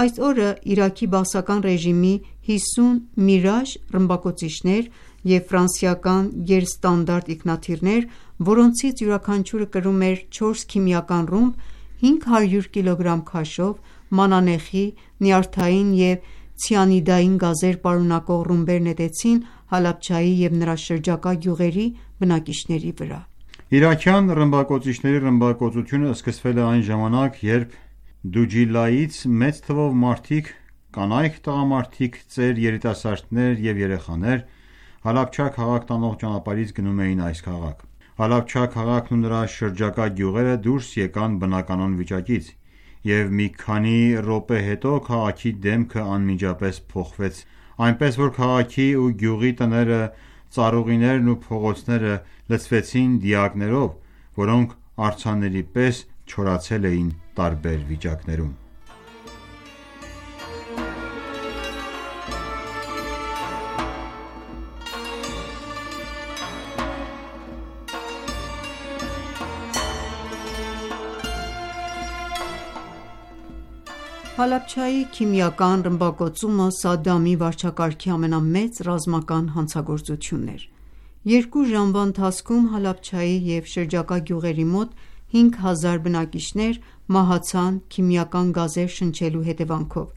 Այս օրը Իրաքի բաասական ռեժիմի հիսուն Միրաժ ռմբակոծիչներ և ֆրանսիական գերստանդարտ ինքնաթիռներ, որոնցից յուրաքանչյուրը կրում էր չորս քիմիական ռումբ, հինգ հարյուր կիլոգրամ քաշով, մանանեխի, նյարդային և ցիանիդային գազեր պարունակող ռումբեր նետեցին Հալաբջայի և նրա շրջակա գյուղերի բնակիչների վրա։ Իրաքյան ռմբակոծիչների ռմբակոծությունը սկսվել է այն ժամանակ, երբ Դուջիլայից մեծ թվով մարդիկ, կանայք, տղամարդիկ, ծեր, երիտասարդներ և երեխաներ Հալաբջա քաղաք տանող ճանապարհից գնում էին այս քաղաք։ Հալաբջա քաղաքն ու նրա շրջակա գյուղերը դուրս եկան բնականոն վիճակից, և մի քանի րոպե հետո քաղաքի դեմքը անմիջապես փոխվեց, այնպես որ քաղաքի ու գյուղի տները, ծառուղիներն ու փողոցները լցվեցին դիակներով, որոնք արձանների պես չորացել էին տարբեր վիճակներում։ Հալաբջայի քիմիական ռմբակոծումը Սադամի վարչակարգի ամենամեծ ռազմական հանցագործությունն էր։ Երկու ժամվա ընթացքում Հալաբջայի և շրջակա գյուղերի մոտ հինգ հազար բնակիչներ մահացան քիմիական գազեր շնչելու հետևանքով,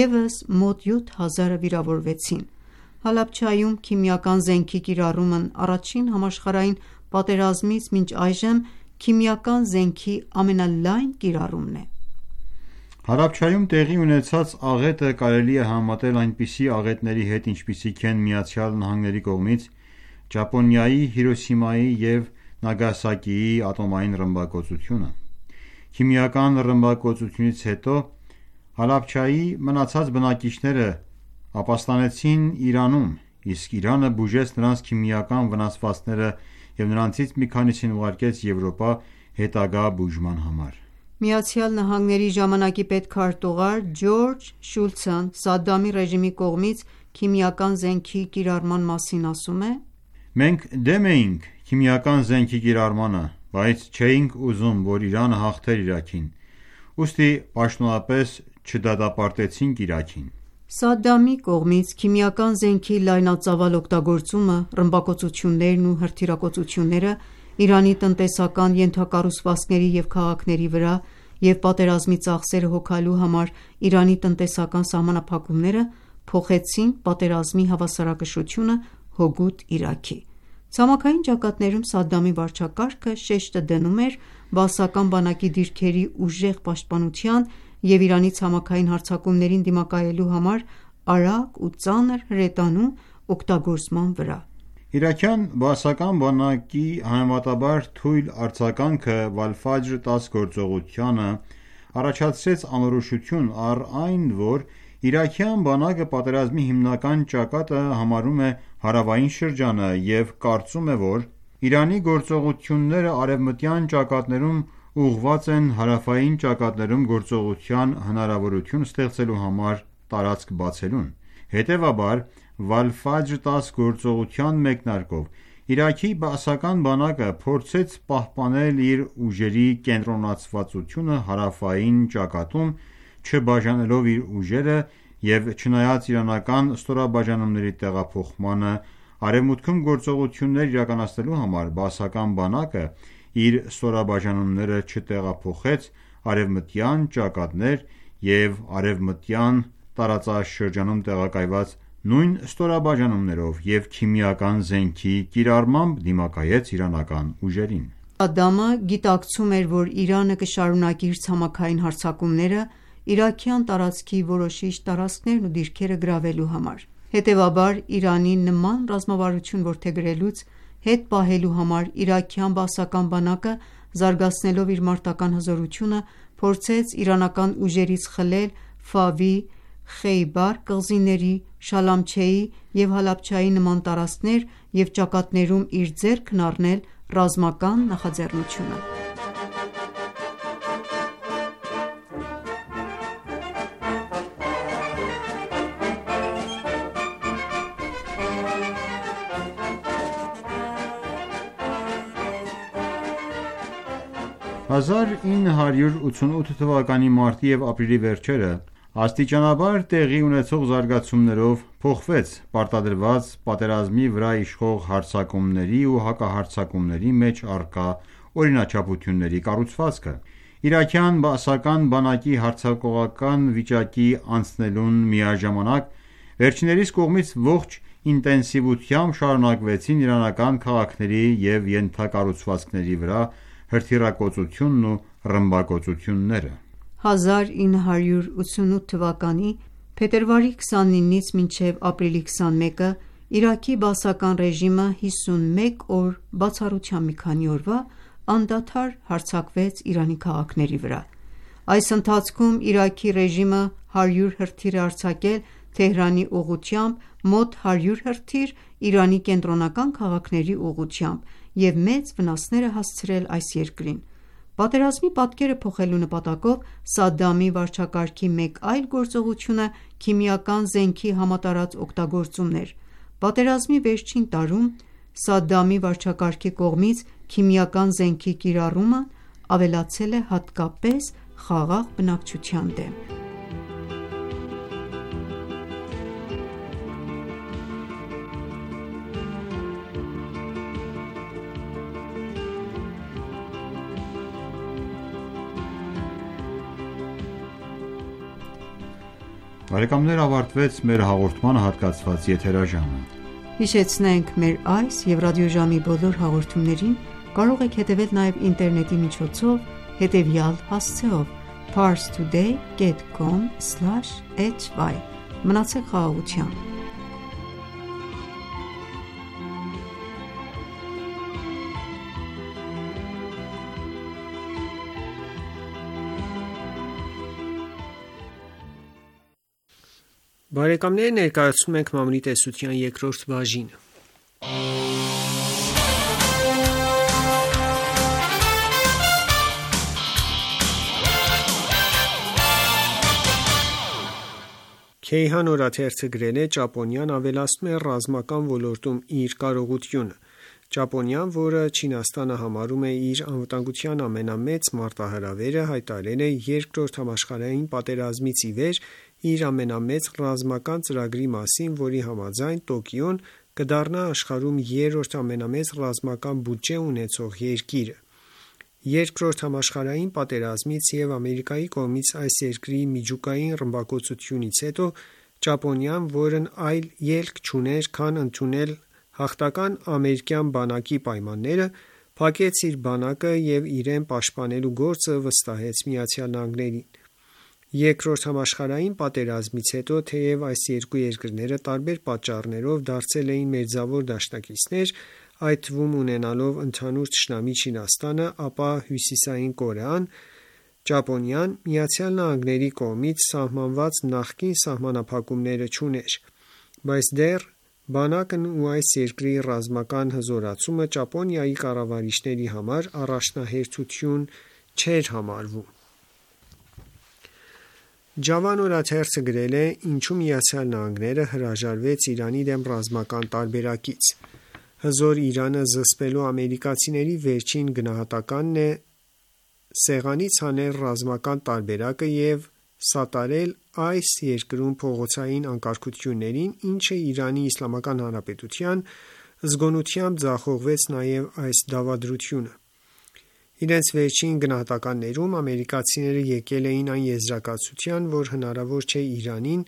ևս մոտ յոթ հազարը վիրավորվեցին։ Հալաբջայում քիմիական զենքի կիրառումն առաջին համաշխարհային պատերազմից մինչ այժմ քիմիական զենքի ամենալայն կիրառումն է։ Հալաբջայում տեղի ունեցած աղետը կարելի է համեմատել այնպիսի աղետների հետ, ինչպիսիք են ԱՄՆ-ի կողմից Ճապոնիայի Հիրոսիմայի և Նագասակիի ատոմային ռմբակոծությունը։ Քիմիական ռմբակոծությունից հետո Հալաբջայի մնացած բնակիչները ապաստանեցին Իրանում, իսկ Իրանը բուժեց նրանց քիմիական վնասվածքները և նրանցից մի քանիսին ուղարկեց Եվրոպա հետագա բուժման համար։ ԱՄՆ-ի ժամանակի պետքարտուղար Ջորջ Շուլցն Սադամի ռեժիմի կողմից քիմիական զենքի կիրառման մասին ասում է. «Մենք դեմ էինք քիմիական զենքի կիրառմանը, բայց չէինք ուզում, որ Իրանը հաղթեր Իրաքին, ուստի պաշտոնապես չդատապարտեցինք Իրաքին»։ Սադամի կողմից քիմիական զենքի լայնածավալ օգտագործումը, ռմբակոծություններն ու հրթիռակոծությունները Իրանի տնտեսական ենթակառուցվածքների և քաղաքների վրա և պատերազմի ծախսերը հոգալու համար Իրանի տնտեսական սահմանափակումները փոխեցին պատերազմի հավասարակշռությունը հօգուտ Իրաքի։ Ցամաքային ճակատներում Սադամի վարչակարգը շեշտը դնում էր բաասական բանակի դիրքերի ուժեղ պաշտպանության և Իրանի ցամաքային հարձակումներին դիմակայելու համար արագ ու ծանր հրետանու օգտագործման վրա։ Իրաքյան բաասական բանակի համեմատաբար թույլ արձագանքը Վալֆաջր դաս գործողությանը առաջացրեց անորոշություն, առ այն, որ իրաքյան բանակը պատերազմի հիմնական ճակատը համարում է հարավային շրջանը և կարծում է, որ Իրանի գործողությունները արևմտյան ճակատներում ուղղված են հարավային ճակատներում գործողության հնարավորություն ստեղծելու համար տարածք բացելուն։ Հետևաբար, Վալֆաջր դաս գործողության մեկնարկով Իրաքի բաասական բանակը փորձեց պահպանել իր ուժերի կենտրոնացվածությունը հարավային ճակատում, չբաժանելով իր ուժերը և չնայած իրանական ստորաբաժանումների տեղափոխմանը արևմուտքում գործողություններ իրականացնելու համար, բաասական բանակը իր ստորաբաժանումները չտեղափոխեց արևմտյան ճակատներ և արևմտյան տարածաշրջանում տեղակայված նույն ստորաբաժանումներով և քիմիական զենքի կիրառմամբ դիմակայեց իրանական ուժերին։ Սադամը գիտակցում էր, որ Իրանը կշարունակի իր ցամաքային հարձակումները իրաքյան տարածքի որոշիչ տարածքներն ու դիրքերը գրավելու համար։ Հետևաբար, Իրանի նման ռազմավարություն որդեգրելուց հետ պահելու համար իրաքյան բաասական բանակը զարգացնելով իր մարտական հզորությունը, փորձեց իրանական ուժերից խլել Ֆավի, Խեյբար կղզիների, Շալամչեի և Հալաբջայի նման տարածքներ և ճակատներում իր ձեռքն առնել ռազմական նախաձեռնությունը։ հազար ինը հարյուր ութսունութ թվականի մարտի և ապրիլի վերջերը աստիճանաբար տեղի ունեցող զարգացումներով փոխվեց պարտադրված պատերազմի վրա իշխող հարձակումների ու հակահարձակումների մեջ առկա օրինաչափությունների կառուցվածքը։ Իրաքյան բաասական բանակի հարձակողական վիճակի անցնելուն միաժամանակ վերջիններիս կողմից ողջ ինտենսիվությամբ շարունակվեցին իրանական քաղաքների և ենթակառուցվածքների վրա հրթիռակոծությունն ու ռմբակոծությունները։ հազար ինը հարյուր ութսունութ թվականի փետրվարի քսանինից մինչև ապրիլի քսանմեկը Իրաքի բաասական ռեժիմը հիսունմեկ օր բացառությամբ մի քանի օրվա անդադար հարձակվեց Իրանի քաղաքների վրա։ Այս ընթացքում Իրաքի ռեժիմը հարյուր հրթիռ է արձակել Թեհրանի ուղղությամբ, մոտ հարյուր հրթիռ Իրանի կենտրոնական քաղաքների ուղղությամբ և մեծ վնասներ է հասցրել այս երկրին։ Պատերազմի պատկերը փոխելու նպատակով Սադամի վարչակարգի մեկ այլ գործողությունը քիմիական զենքի համատարած օգտագործումն էր։ Պատերազմի վերջին տարում Սադամի վարչակարգի կողմից քիմիական զենքի կիրառումն ավելացել է հատկապես խաղաղ բնակչության դեմ։ Բարեկամներ, ավարտվեց մեր հաղորդմանը հատկացված եթերաժամը։ Հիշեցնենք մեր այս և ռադիոժամի բոլոր հաղորդումներին կարող եք հետևել նաև ինտերնետի միջոցով հետևյալ հասցեով՝ parstoday dot com slash h y։ Մնացեք խաղաղությամբ։ Բարեկամներ, ներկայացնում ենք Մամրի տեսության երկրորդ բաժինը։ Քեյհան օրաթերթը գրել է. Ճապոնիան ավելացնում է ռազմական ոլորտում իր կարողությունը։ Ճապոնիան, որը Չինաստանը համարում է իր անվտանգության ամենամեծ մարտահրավերը, հայտարարել է Երկրորդ համաշխարհային պատերազմից ի վեր իր ամենամեծ ռազմական ծրագրի մասին, որի համաձայն Տոկիոն կդառնա աշխարհում երրորդ ամենամեծ ռազմական բյուջե ունեցող երկիրը։ Երկրորդ համաշխարհային պատերազմից և Ամերիկայի կողմից այս երկրի միջուկային ռմբակոծությունից հետո Ճապոնիան, որն այլ ելք չուներ, քան ընդունել հաղթական ամերիկյան բանակի պայմանները, փակեց իր բանակը և իրեն պաշտպանելու գործը վստահեց ԱՄՆ-ին։ Երկրորդ համաշխարհային պատերազմից հետո, թեև այս երկու երկրները տարբեր պատճառներով դարձել էին մերձավոր դաշնակիցներ, այդ թվում ունենալով ընդհանուր թշնամի Չինաստանը, ապա Հյուսիսային Կորեան, Ճապոնիան ԱՄՆ-ի կողմից սահմանված նախկին սահմանափակումները չուներ, բայց դեռ բանակն ու այս երկրի ռազմական հզորացումը Ճապոնիայի կառավարիչների համար առաջնահերթություն չէր համարվում։ Ջավան օրաթերթը գրել է. Ինչու ԱՄՆ-ը հրաժարվեց Իրանի դեմ ռազմական տարբերակից։ Հզոր Իրանը զսպելու ամերիկացիների վերջին գնահատականն է սեղանից հանել ռազմական տարբերակը և սատարել այս երկրում փողոցային անկարգություններին, ինչը Իրանի Իսլամական Հանրապետության զգոնությամբ ձախողվեց նաև այս դավադրությունը։ Իրենց վերջին գնահատականներում ամերիկացիները եկել էին այն եզրակացության, որ հնարավոր չէ Իրանին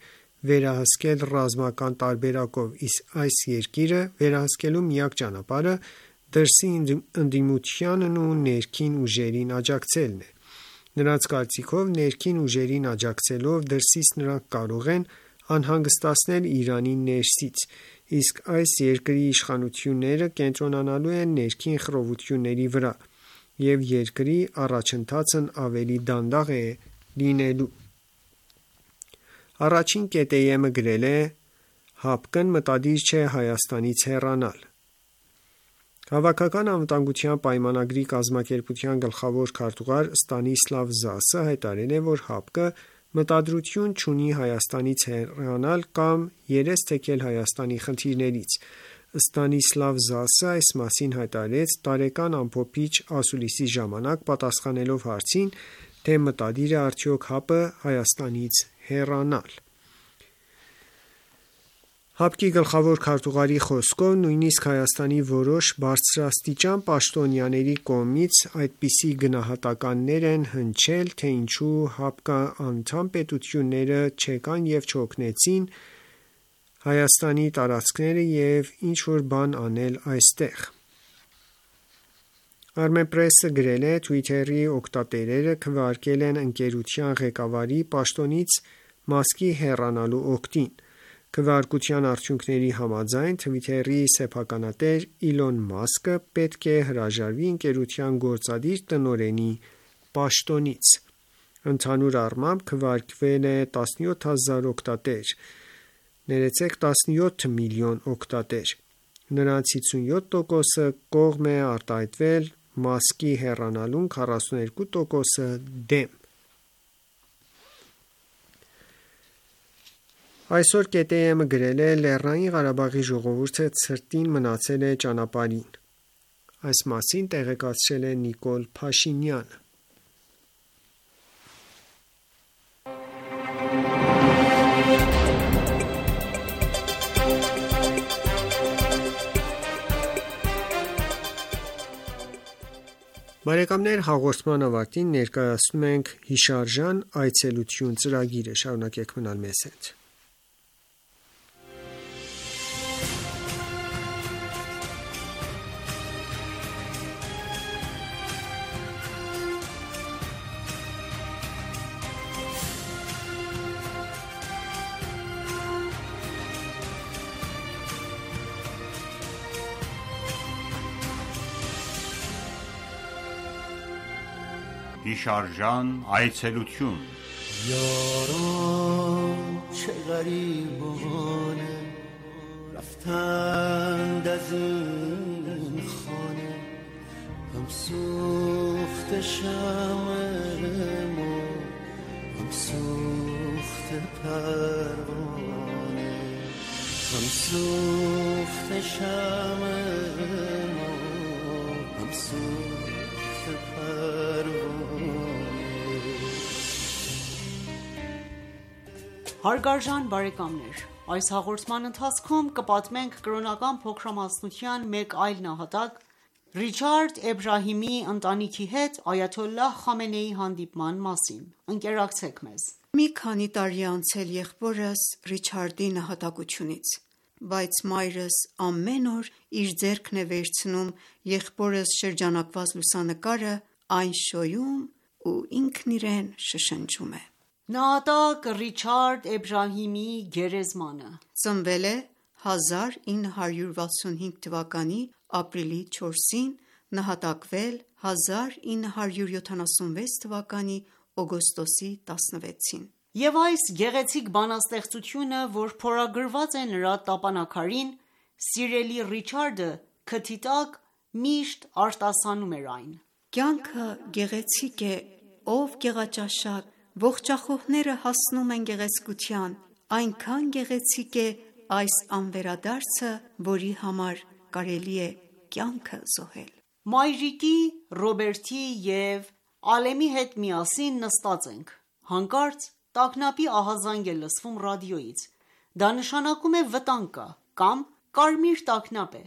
վերահսկել ռազմական տարբերակով, իսկ այս երկիրը վերահսկելու միակ ճանապարհը դրսի ընդդիմությանն ու ներքին ուժերին աջակցելն է։ Նրանց կարծիքով ներքին ուժերին աջակցելով դրսից նրանք կարող են անհանգստացնել Իրանին ներսից, իսկ այս երկրի իշխանությունները կենտրոնանալու են ներքին խռովությունների վրա։ և երկրի առաջընթացն ավելի դանդաղ է լինելու։ Առաջին ԿՏԵՄ-ը գրել է. «ՀԱՊԿ-ն մտադիր չէ Հայաստանից հեռանալ»։ Հավաքական անվտանգության պայմանագրի կազմակերպության գլխավոր քարտուղար Ստանիսլավ Զասը հայտարարել է, որ ՀԱՊԿ-ը մտադրություն չունի Հայաստանից հեռանալ կամ երես թեքել Հայաստանի խնդիրներից։ Ստանիսլավ Զասը այս մասին հայտարարեց տարեկան ամփոփիչ ասուլիսի ժամանակ, պատասխանելով հարցին, թե մտադիր է արդյոք ՀԱՊ-ը Հայաստանից հեռանալ։ ՀԱՊԿ-ի գլխավոր քարտուղարի խոսքով, նույնիսկ Հայաստանի որոշ բարձրաստիճան պաշտոնյաների կողմից այդպիսի գնահատականներ են հնչել, թե ինչու ՀԱՊԿ անդամ պետությունները չեկան և չօգնեցին Հայաստանի տարածքները և ինչ-որ բան անել այստեղ։ Armenpress-ը գրել է. Twitter-ի օգտատերերը քվեարկել են ընկերության ղեկավարի պաշտոնից Մասկի հեռանալու օգտին։ Քվեարկության արդյունքների համաձայն, Twitter-ի սեփականատեր Իլոն Մասկը պետք է հրաժարվի ընկերության գործադիր տնօրենի պաշտոնից։ Ընդհանուր առմամբ քվեարկվել է տասնյոթ հազար օգտատեր, տասնյոթ միլիոն օգտատեր։ Նրանց հիսունյոթ տոկոսը կողմ է արտահայտվել Մասկի հեռանալուն, քառասունութ տոկոսը դեմ։ Այսօր ԿՏԵՄ-ը գրել է. Լեռնային Ղարաբաղի ժողովուրդը ցրտին մնացել է ճանապարհին։ Այս մասին տեղեկացրել է Նիկոլ Փաշինյանը։ Բարեկամներ, հաղորդման ավարտին ներկայացնում ենք հիշարժան այցելություն ծրագիրը։ Շարունակեք մնալ մեզ հետ։ Հիշարժան այցելություն یاران چه غریبانه رفتند از این خانه هم سوخت شمع ما هم سوخت پروانه هم سوخت شمع ما هم سوخت پروانه Հարգարժան բարեկամներ, այս հաղորդման ընթացքում կպատմենք կրոնական փոքրամասնության մեկ այլ նահատակ Ռիչարդ Էբրահիմի ընտանիքի հետ այաթոլլահ Խամենեիի հանդիպման մասին։ Ընկերակցեք մեզ։ Մի քանի տարի է անցել եղբորս Ռիչարդի նահատակությունից, բայց մայրս ամեն օր իր ձեռքն է վերցնում եղբորս շրջանակված լուսանկարը, այն շոյում ու ինքն իրեն շշնջում է։ Նահատակ Ռիչարդ Էբրահիմի գերեզմանը ծնվել է հազար ինը հարյուր վաթսունհինգ թվականի ապրիլի չորսին, նահատակվել հազար ինը հարյուր յոթանասունվեց թվականի օգոստոսի տասնվեցին։ Եվ այս գեղեցիկ բանաստեղծությունը, որ փորագրված է նրա տապանաքարին, սիրելի Ռիչարդը քթի տակ միշտ արտասանում էր այն. Կյանքը գեղեցիկ է, ով գեղաճաշակ, ողջախոհները հասնում են գեղեցկության, այնքան գեղեցիկ է այս անվերադարձը, որի համար կարելի է կյանքը զոհել։ Մայրիկի, Ռոբերտի և Ալեմի հետ միասին նստած ենք, հանկարծ տագնապի ահազանգ է լսվում ռադիոյից, դա նշանակում է վտանգ կա, կամ կարմիր տագնապ է,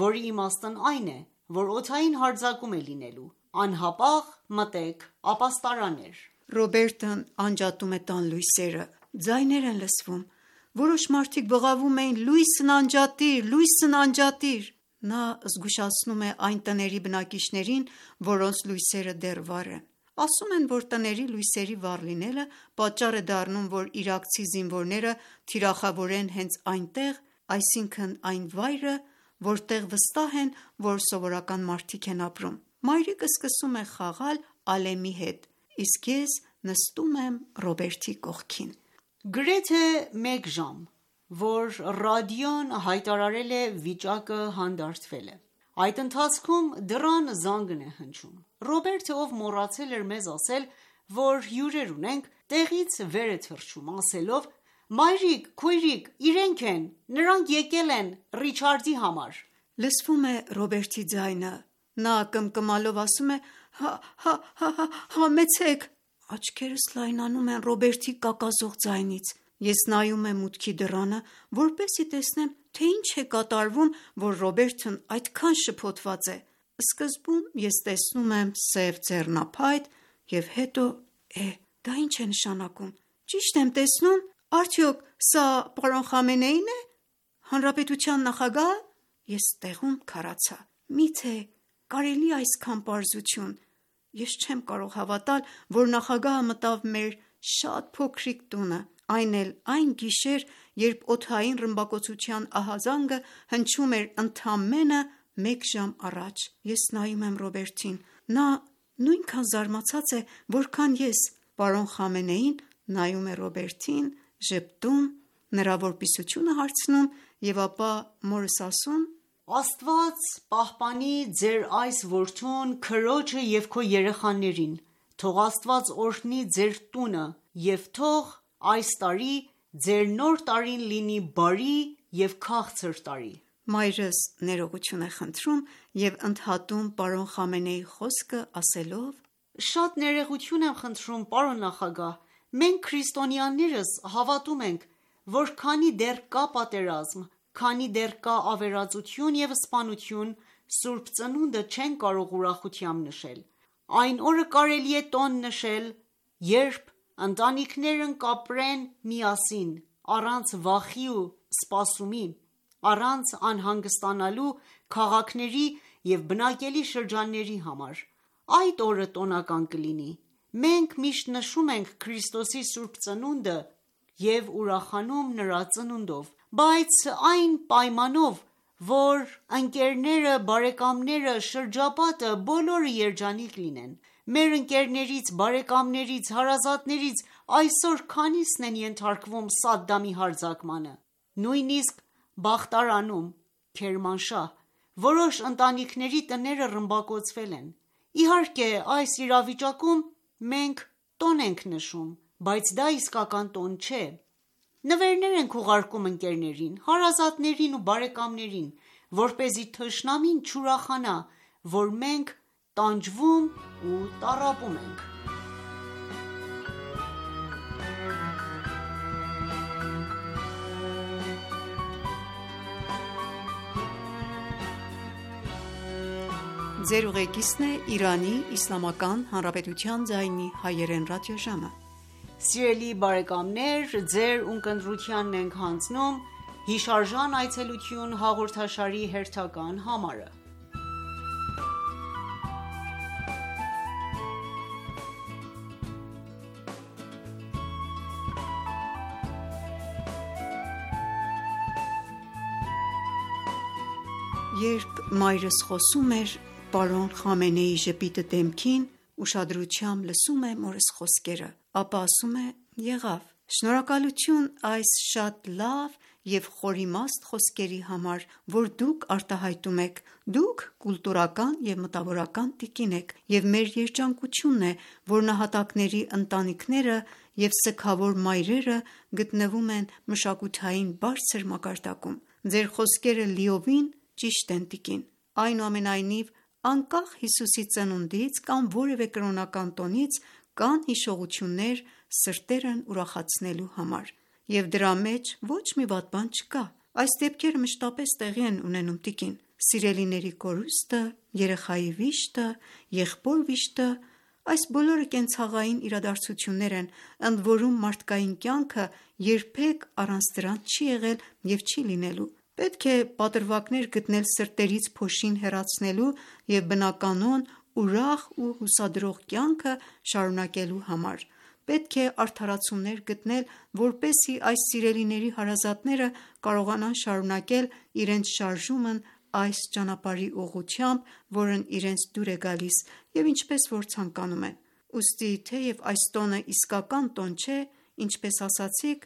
որի իմաստն այն է, որ օդային հարձակում է լինելու, անհապաղ մտեք ապաստարաներ։ Ռոբերտն անջատում է տան լույսերը, ձայներ են լսվում, որոշ մարդիկ բղավում էին լույսն անջատիր, լույսն անջատիր։ Նա զգուշացնում է այն տների բնակիչներին, որոնց լույսերը դեռ վառ են։ Ասում են, որ տների լույսերի վառ լինելը պատճառ է դառնում, որ իրաքցի զինվորները թիրախավորեն հենց այնտեղ, այսինքն այն վայրը, որտեղ վստահ են, որ սովորական մարդիկ են ապրում։ Մայրիկը սկսում է խաղալ Ալեմի հետ, իսկ ես նստում եմ Ռոբերտի կողքին։ Գրեթե մեկ ժամ, որ ռադիոն հայտարարել է վիճակը հանդարտվել է։ Այդ ընթացքում դռան զանգն է հնչում։ Ռոբերտը, ով մոռացել էր մեզ ասել, որ հյուրեր ունենք, տեղից վեր է թռչում, ասելով. «Մայրիկ, քույրիկ, իրենք են, նրանք եկել են Ռիչարդի համար»։ Լսվում է Ռոբերտի ձայնը։ Նա կմկմալով ասում է. «Հա, հա, հա, հա, համեցեք»։ Աչքերս լայնանում են Ռոբերտի կակազող ձայնից։ Ես նայում եմ մուտքի դռանը, որպեսզի տեսնեմ, թե ինչ է կատարվում, որ Ռոբերտն այդքան շփոթված է։ Սկզբում ես տեսնում եմ սև ձեռնափայտ և հետո է, դա ինչ է նշանակում։ Ճիշտ եմ տեսնում, արդյոք սա պարոն Խամենեին է, հանրապետության նախագահը։ Ես տեղում քարացա։ Միթե կարելի է այսքան պարզություն։ Ես չեմ կարող հավատալ, որ նախագահը մտավ մեր շատ փոքրիկ տունը, այն էլ այն գիշեր, երբ օդային ռմբակոծության ահազանգը հնչում էր ընդամենը մեկ ժամ առաջ։ Ես նայում եմ Ռոբերտին։ Նա նույնքան զարմացած է, որքան ես։ Պարոն Խամենեին նայում է Ռոբերտին, ժպտում, նրա որպիսությունը հարցնում և ապա մորս ասում. «Աստված պահպանի ձեր այս որդուն, քրոջը և քո երեխաներին, թող Աստված օրհնի ձեր տունը և թող այս տարի ձեր նոր տարին լինի բարի և քաղցր տարի»։ Մայրս ներողություն է խնդրում և ընդհատում պարոն Խամենեիի խոսքը ասելով. «Շատ ներողություն եմ խնդրում, պարոն նախագահ, մենք քրիստոնյաներս հավատում ենք, որ քանի դեռ կա պատերազմ, քանի դեռ կա ավերածություն և սպանություն, Սուրբ Ծնունդը չեն կարող ուրախությամբ նշել։ Այն օրը կարելի է տոն նշել, երբ ընտանիքներն կապրեն միասին, առանց վախի ու սպասումի, առանց անհանգստանալու քաղաքների և բնակելի շրջանների համար։ Այդ օրը տոնական կլինի։ Մենք միշտ նշում ենք Քրիստոսի Սուրբ Ծնունդը և ուրախանում նրա ծնունդով, բայց այն պայմանով, որ ընկերները, բարեկամները, շրջապատը բոլորը երջանիկ լինեն։ Մեր ընկերներից, բարեկամներից, հարազատներից այսօր քանիսն են ենթարկվում Սադդամի հարձակմանը, նույնիսկ Բախտարանում, Քերմանշահ, որոշ ընտանիքների տները ռմբակոծվել են։ Իհարկե, այս իրավիճակում մենք տոն ենք նշում, բայց դա իսկական տոն չէ։ Նվերներ ենք ուղարկում ընկերներին, հարազատներին ու բարեկամներին, որպեսզի թշնամին չուրախանա, որ մենք տանջվում ու տառապում ենք։ Ձեր ուղեկիցն է Իրանի Իսլամական Հանրապետության ձայնի հայերեն ռադիոժամը։ Սիրելի բարեկամներ, ձեր ունկնդրությանն ենք հանձնում հիշարժան այցելություն հաղորդաշարի հերթական համարը։ Երբ մայրս խոսում էր պարոն Խամենեիի ժպիտը դեմքին, ուշադրությամբ լսում է մորս խոսքերը, ապա ասում է. «Եղավ, շնորհակալություն այս շատ լավ և խորիմաստ խոսքերի համար, որ դուք արտահայտում եք, դուք կուլտուրական և մտավորական տիկին եք, և մեր երջանկությունն է, որ նահատակների ընտանիքները և սգավոր մայրերը գտնվում են մշակութային բարձր մակարդակում։ Ձեր խոսքերը լիովին ճիշտ են, տիկին։ Այնուամենայնիվ, անկախ Հիսուսի ծնունդից կամ որևէ կրոնական տոնից, կան հիշողություններ սրտերն ուրախացնելու համար, և դրա մեջ ոչ մի վատ բան չկա։ Այս դեպքերը մշտապես տեղի են ունենում, տիկին։ Սիրելիների կորուստը, երեխայի վիշտը, եղբոր վիշտը, այս բոլորը կենցաղային իրադարձություններ են, ընդ որում մարդկային կյանքը երբեք առանց դրանց չի եղել և չի լինելու։ Պետք է պատրվակներ գտնել սրտերից փոշին հեռացնելու և բնականոն, ուրախ ու հուսադրող կյանքը շարունակելու համար։ Պետք է արդարացումներ գտնել, որպեսզի այս սիրելիների հարազատները կարողանան շարունակել իրենց շարժումն այս ճանապարհի ուղղությամբ, որն իրենց դուր է գալիս և ինչպես որ ցանկանում են: Ուստի թեև այս տոնը իսկական տոն չէ, ինչպես ասացիք,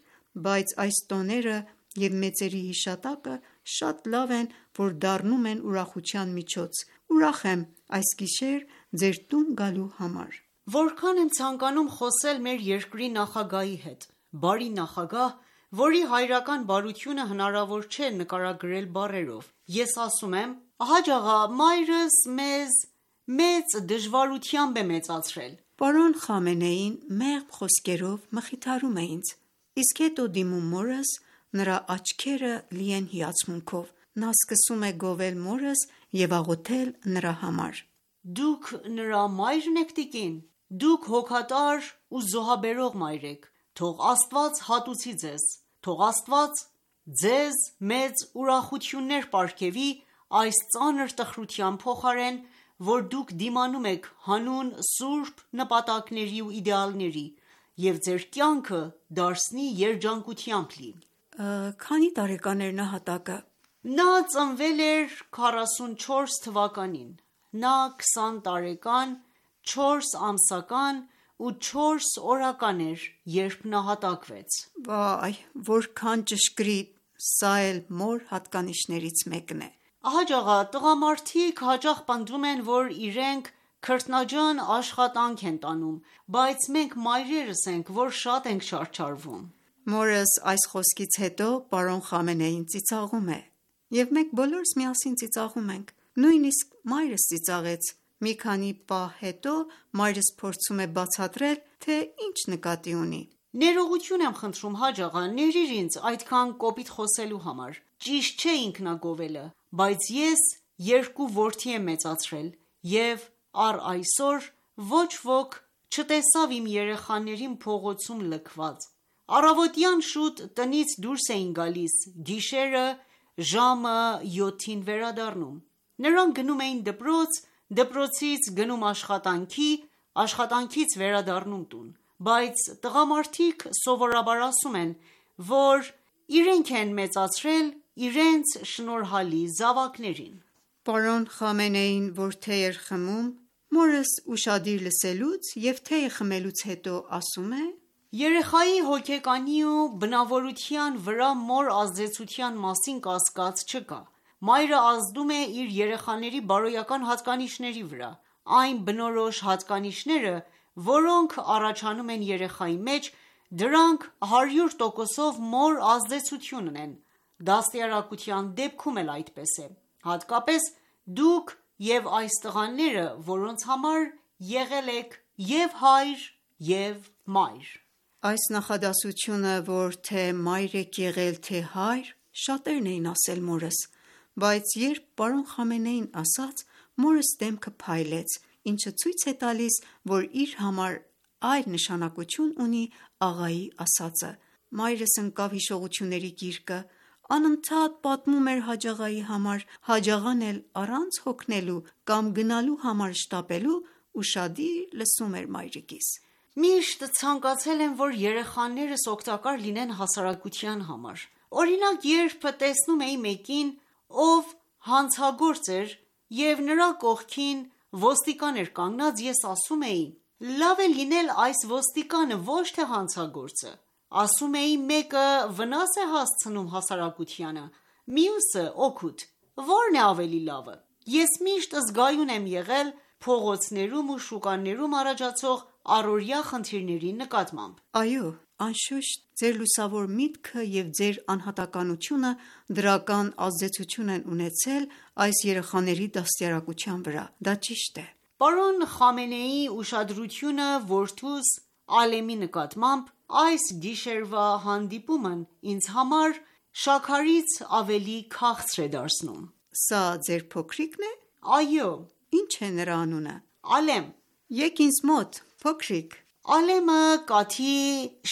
բայց այս տոները և մեծերի հիշատակը շատ լավ են, որ դառնում են ուրախության միջոց: Ուրախ եմ այս գիշեր ձեր տուն գալու համար: Որքան եմ ցանկանում խոսել մեր երկրի նախագահի հետ: Բարի նախագահ, որի հայրական բարությունը հնարավոր չէ նկարագրել բառերով: Ես ասում եմ. «Հաջ աղա, մայրս մեզ մեծ դժվարությամբ է մեծացրել»: Պարոն Խամենեին մեղմ խոսքերով մխիթարում է ինձ, իսկ հետո դիմում մորս, նրա աչքերը լի են հիացմունքով: Նա սկսում է գովել մորս և աղոթել նրա համար: Դուք նրա մայրն եք տիկին: Դուք հոգատար ու զոհաբերող մայր եք: Թող Աստված հատուցի ձեզ: Թող Աստված ձեզ մեծ ուրախություններ պարգևի այս ծանր տխրության փոխարեն, որ դուք դիմանում եք հանուն սուրբ նպատակների ու իդեալների և ձեր կյանքը դարձնի երջանկությամբ լի: Քանի տարեկան էր նահատակը: Նա ծնվել էր քառասունչորս թվականին: Նա քսան տարեկան, չորս ամսական ու չորս օրական էր, երբ նահատակվեց: Վայ, որքան ճշգրիտ: Սա էլ մոր հատկանիշներից մեկն է: Հաջ աղա, տղամարդիկ հաճախ պնդում են, որ իրենք քրտնաջան աշխատանք են տանում, բայց մենք մայրերս ենք, որ շատ ենք չարչարվում: Մորս այս խոսքից հետո պարոն Խամենեին ծիծաղում է: Եվ մենք բոլորս միասին ծիծաղում ենք: Նույնիսկ մայրս ծիծաղեց: Մի քանի պահ հետո մայրս փորձում է բացատրել, թե ինչ նկատի ունի: Ներողություն եմ խնդրում Հաջ աղա, ներիր ինձ այդքան կոպիտ խոսելու համար: Ճիշտ չէ ինքնագովելը, բայց ես երկու որդի եմ մեծացրել և առ այսօր ոչ ոք չտեսավ իմ երեխաներին փողոցում լքված: Առավոտյան շուտ տնից դուրս էին գալիս, գիշերը ժամը յոթին վերադառնում: Նրանք գնում էին դպրոց, դպրոցից գնում աշխատանքի, աշխատանքից վերադառնում տուն: Բայց տղամարդիկ սովորաբար ասում են, որ իրենք են մեծացրել իրենց շնորհալի զավակներին: Պարոն Խամենեին որ թեյ էր խմում, մորս ուշադիր լսելուց և թեյը խմելուց հետո ասում է. Երեխայի հոգեկանի ու բնավորության վրա մոր ազդեցության մասին կասկած չկա: Մայրը ազդում է իր երեխաների բարոյական հատկանիշների վրա: Այն բնորոշ հատկանիշները, որոնք առաջանում են երեխայի մեջ, դրանք հարյուր տոկոսով մոր ազդեցություն ունեն: Դաստիարակության դեպքում էլ այդպես է: Հատկապես դուք և այս տղաները, որոնց համար եղել եք և՛ հայր և՛ մայր: Այս նախադասությունը, որ թե մայր եք եղել, թե հայր, շատերն էին ասել մորս: Բայց երբ պարոն Խամենեին ասաց, մորս դեմքը փայլեց, ինչը ցույց է տալիս, որ իր համար այլ նշանակություն ունի աղայի ասածը: Մայրս ընկավ հիշողությունների գիրկը, անընդհատ պատմում էր Հաջ աղայի համար, Հաջ աղան էլ առանց հոգնելու կամ գնալու համար շտապելու ուշադիր լսում էր մայրիկիս: Միշտ ցանկացել եմ, որ երեխաներս օգտակար լինեն հասարակության համար: Օրինակ երբ տեսնում էի մեկին, ով հանցագործ էր և նրա կողքին ոստիկան էր կանգնած, ես ասում էի. լավ է լինել այս ոստիկանը, ոչ թե հանցագործը: Ասում էի մեկը վնաս է հասցնում հասարակությանը, մյուսը օգուտ: Ո՞րն է ավելի լավը: Ես միշտ զգայուն եմ եղել փողոցներում ու շուկաներում առաջացող առօրյա խնդիրների նկատմամբ: Այո, անշուշտ ձեր լուսավոր միտքը և ձեր անհատականությունը դրական ազդեցություն են ունեցել այս երեխաների դաստիարակության վրա: Դա ճիշտ է: Պարոն Խամենեիի ուշադրությունը որդուս Ալեմի նկատմամբ այս գիշերվա հանդիպումն ինձ համար շաքարից ավելի քաղցր է դարձնում: Սա ձեր փոքրիկն է: Այո: Ի՞նչ է նրա անունը: Ալեմ: Եկ ինձ մոտ, փոքրիկ: Ալեմը կաթի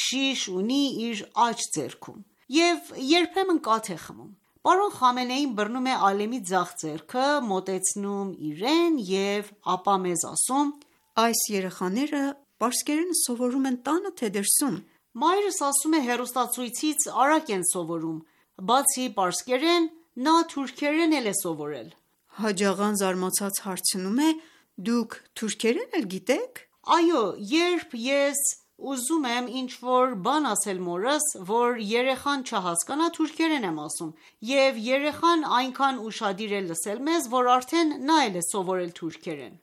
շիշ ունի իր աջ ձեռքում և երբեմն կաթ է խմում: Պարոն Խամենեին բռնում է Ալեմի ձախ ձեռքը, մոտեցնում իրեն և ապա մեզ ասում. Այս երեխաները պարսկերենը սովորում են տանը, թե դրսում: Մայրս ասում է հեռուստացույցից արագ են սովորում: Բացի պարսկերեն, Նա թուրքերեն էլ է սովորել։ Հաջաղան զարմացած հարցնում է. Դուք թուրքերեն էլ գիտեք։ Այո, երբ ես ուզում եմ ինչ-որ բան ասել մորս, որ երեխան չհասկանա, թուրքերեն եմ ասում, և երեխան այնքան ուշադիր է լսել մեզ, որ արդեն նա էլ է սովորել թուրքերեն։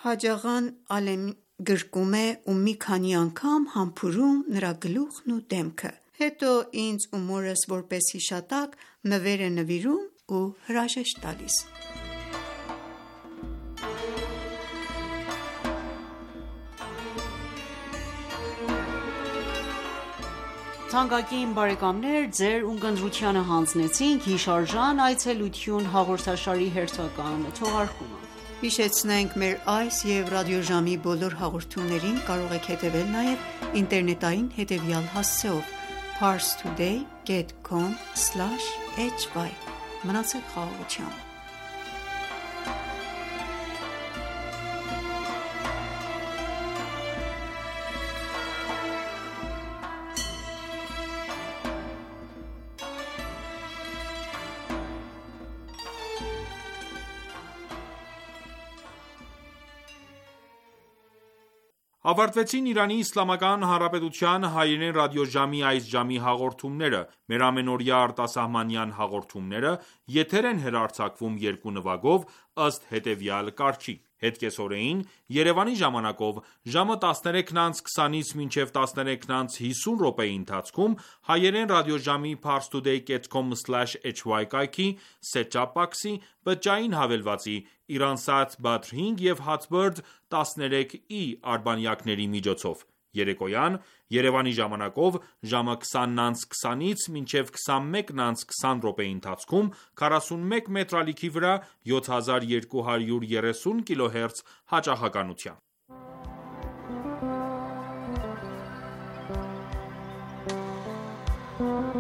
Հաջաղան Ալեմին գրկում է ու մի քանի անգամ համբուրում նրա գլուխն ու դեմքը, հետո ինձ ու մորս որպես հիշատակ նվեր է նվիրում ու հրաժեշտ տալիս։ Թանկագին բարեկամներ, ձեր ունկնդրությանը հանձնեցինք հիշարժան այցելություն հաղորդաշարի հերթական թողարկումը։ Հիշեցնենք մեր այս և ռադիոժամի բոլոր հաղորդումներին կարող եք հետևել նաև ինտերնետային հետևյալ հասցեով parstoday dot com slash h y Մնացեք խաղաղությամբ։ Ավարտվեցին Իրանի Իսլամական Հանրապետության հայերեն ռադիոժամի այս ժամի հաղորդումները։ Մեր ամենօրյա արտասահմանյան հաղորդումները եթեր են հեռարձակվում երկու նվագով ըստ հետևյալ կարգի: Հետկեսօրեին Երևանի ժամանակով ժամը տասներեքն անց քսանից մինչև տասներեքն անց հիսուն րոպեի ընթացքում հայերեն ռադիոժամի parstoday dot com slash h y կայքի set-top box-ի բջջային հավելվածի Iransat Badr հինգ և Hotbird տասներեք E արբանյակների միջոցով: Երեկոյան Երևանի ժամանակով ժամը քսանն անց քսանից մինչև քսանմեկն անց քսան րոպեի ընթացքում քառասունմեկ մետր ալիքի վրա յոթ հազար երկու հարյուր երեսուն կիլոհերց հաճախականությամբ: Thank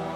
you.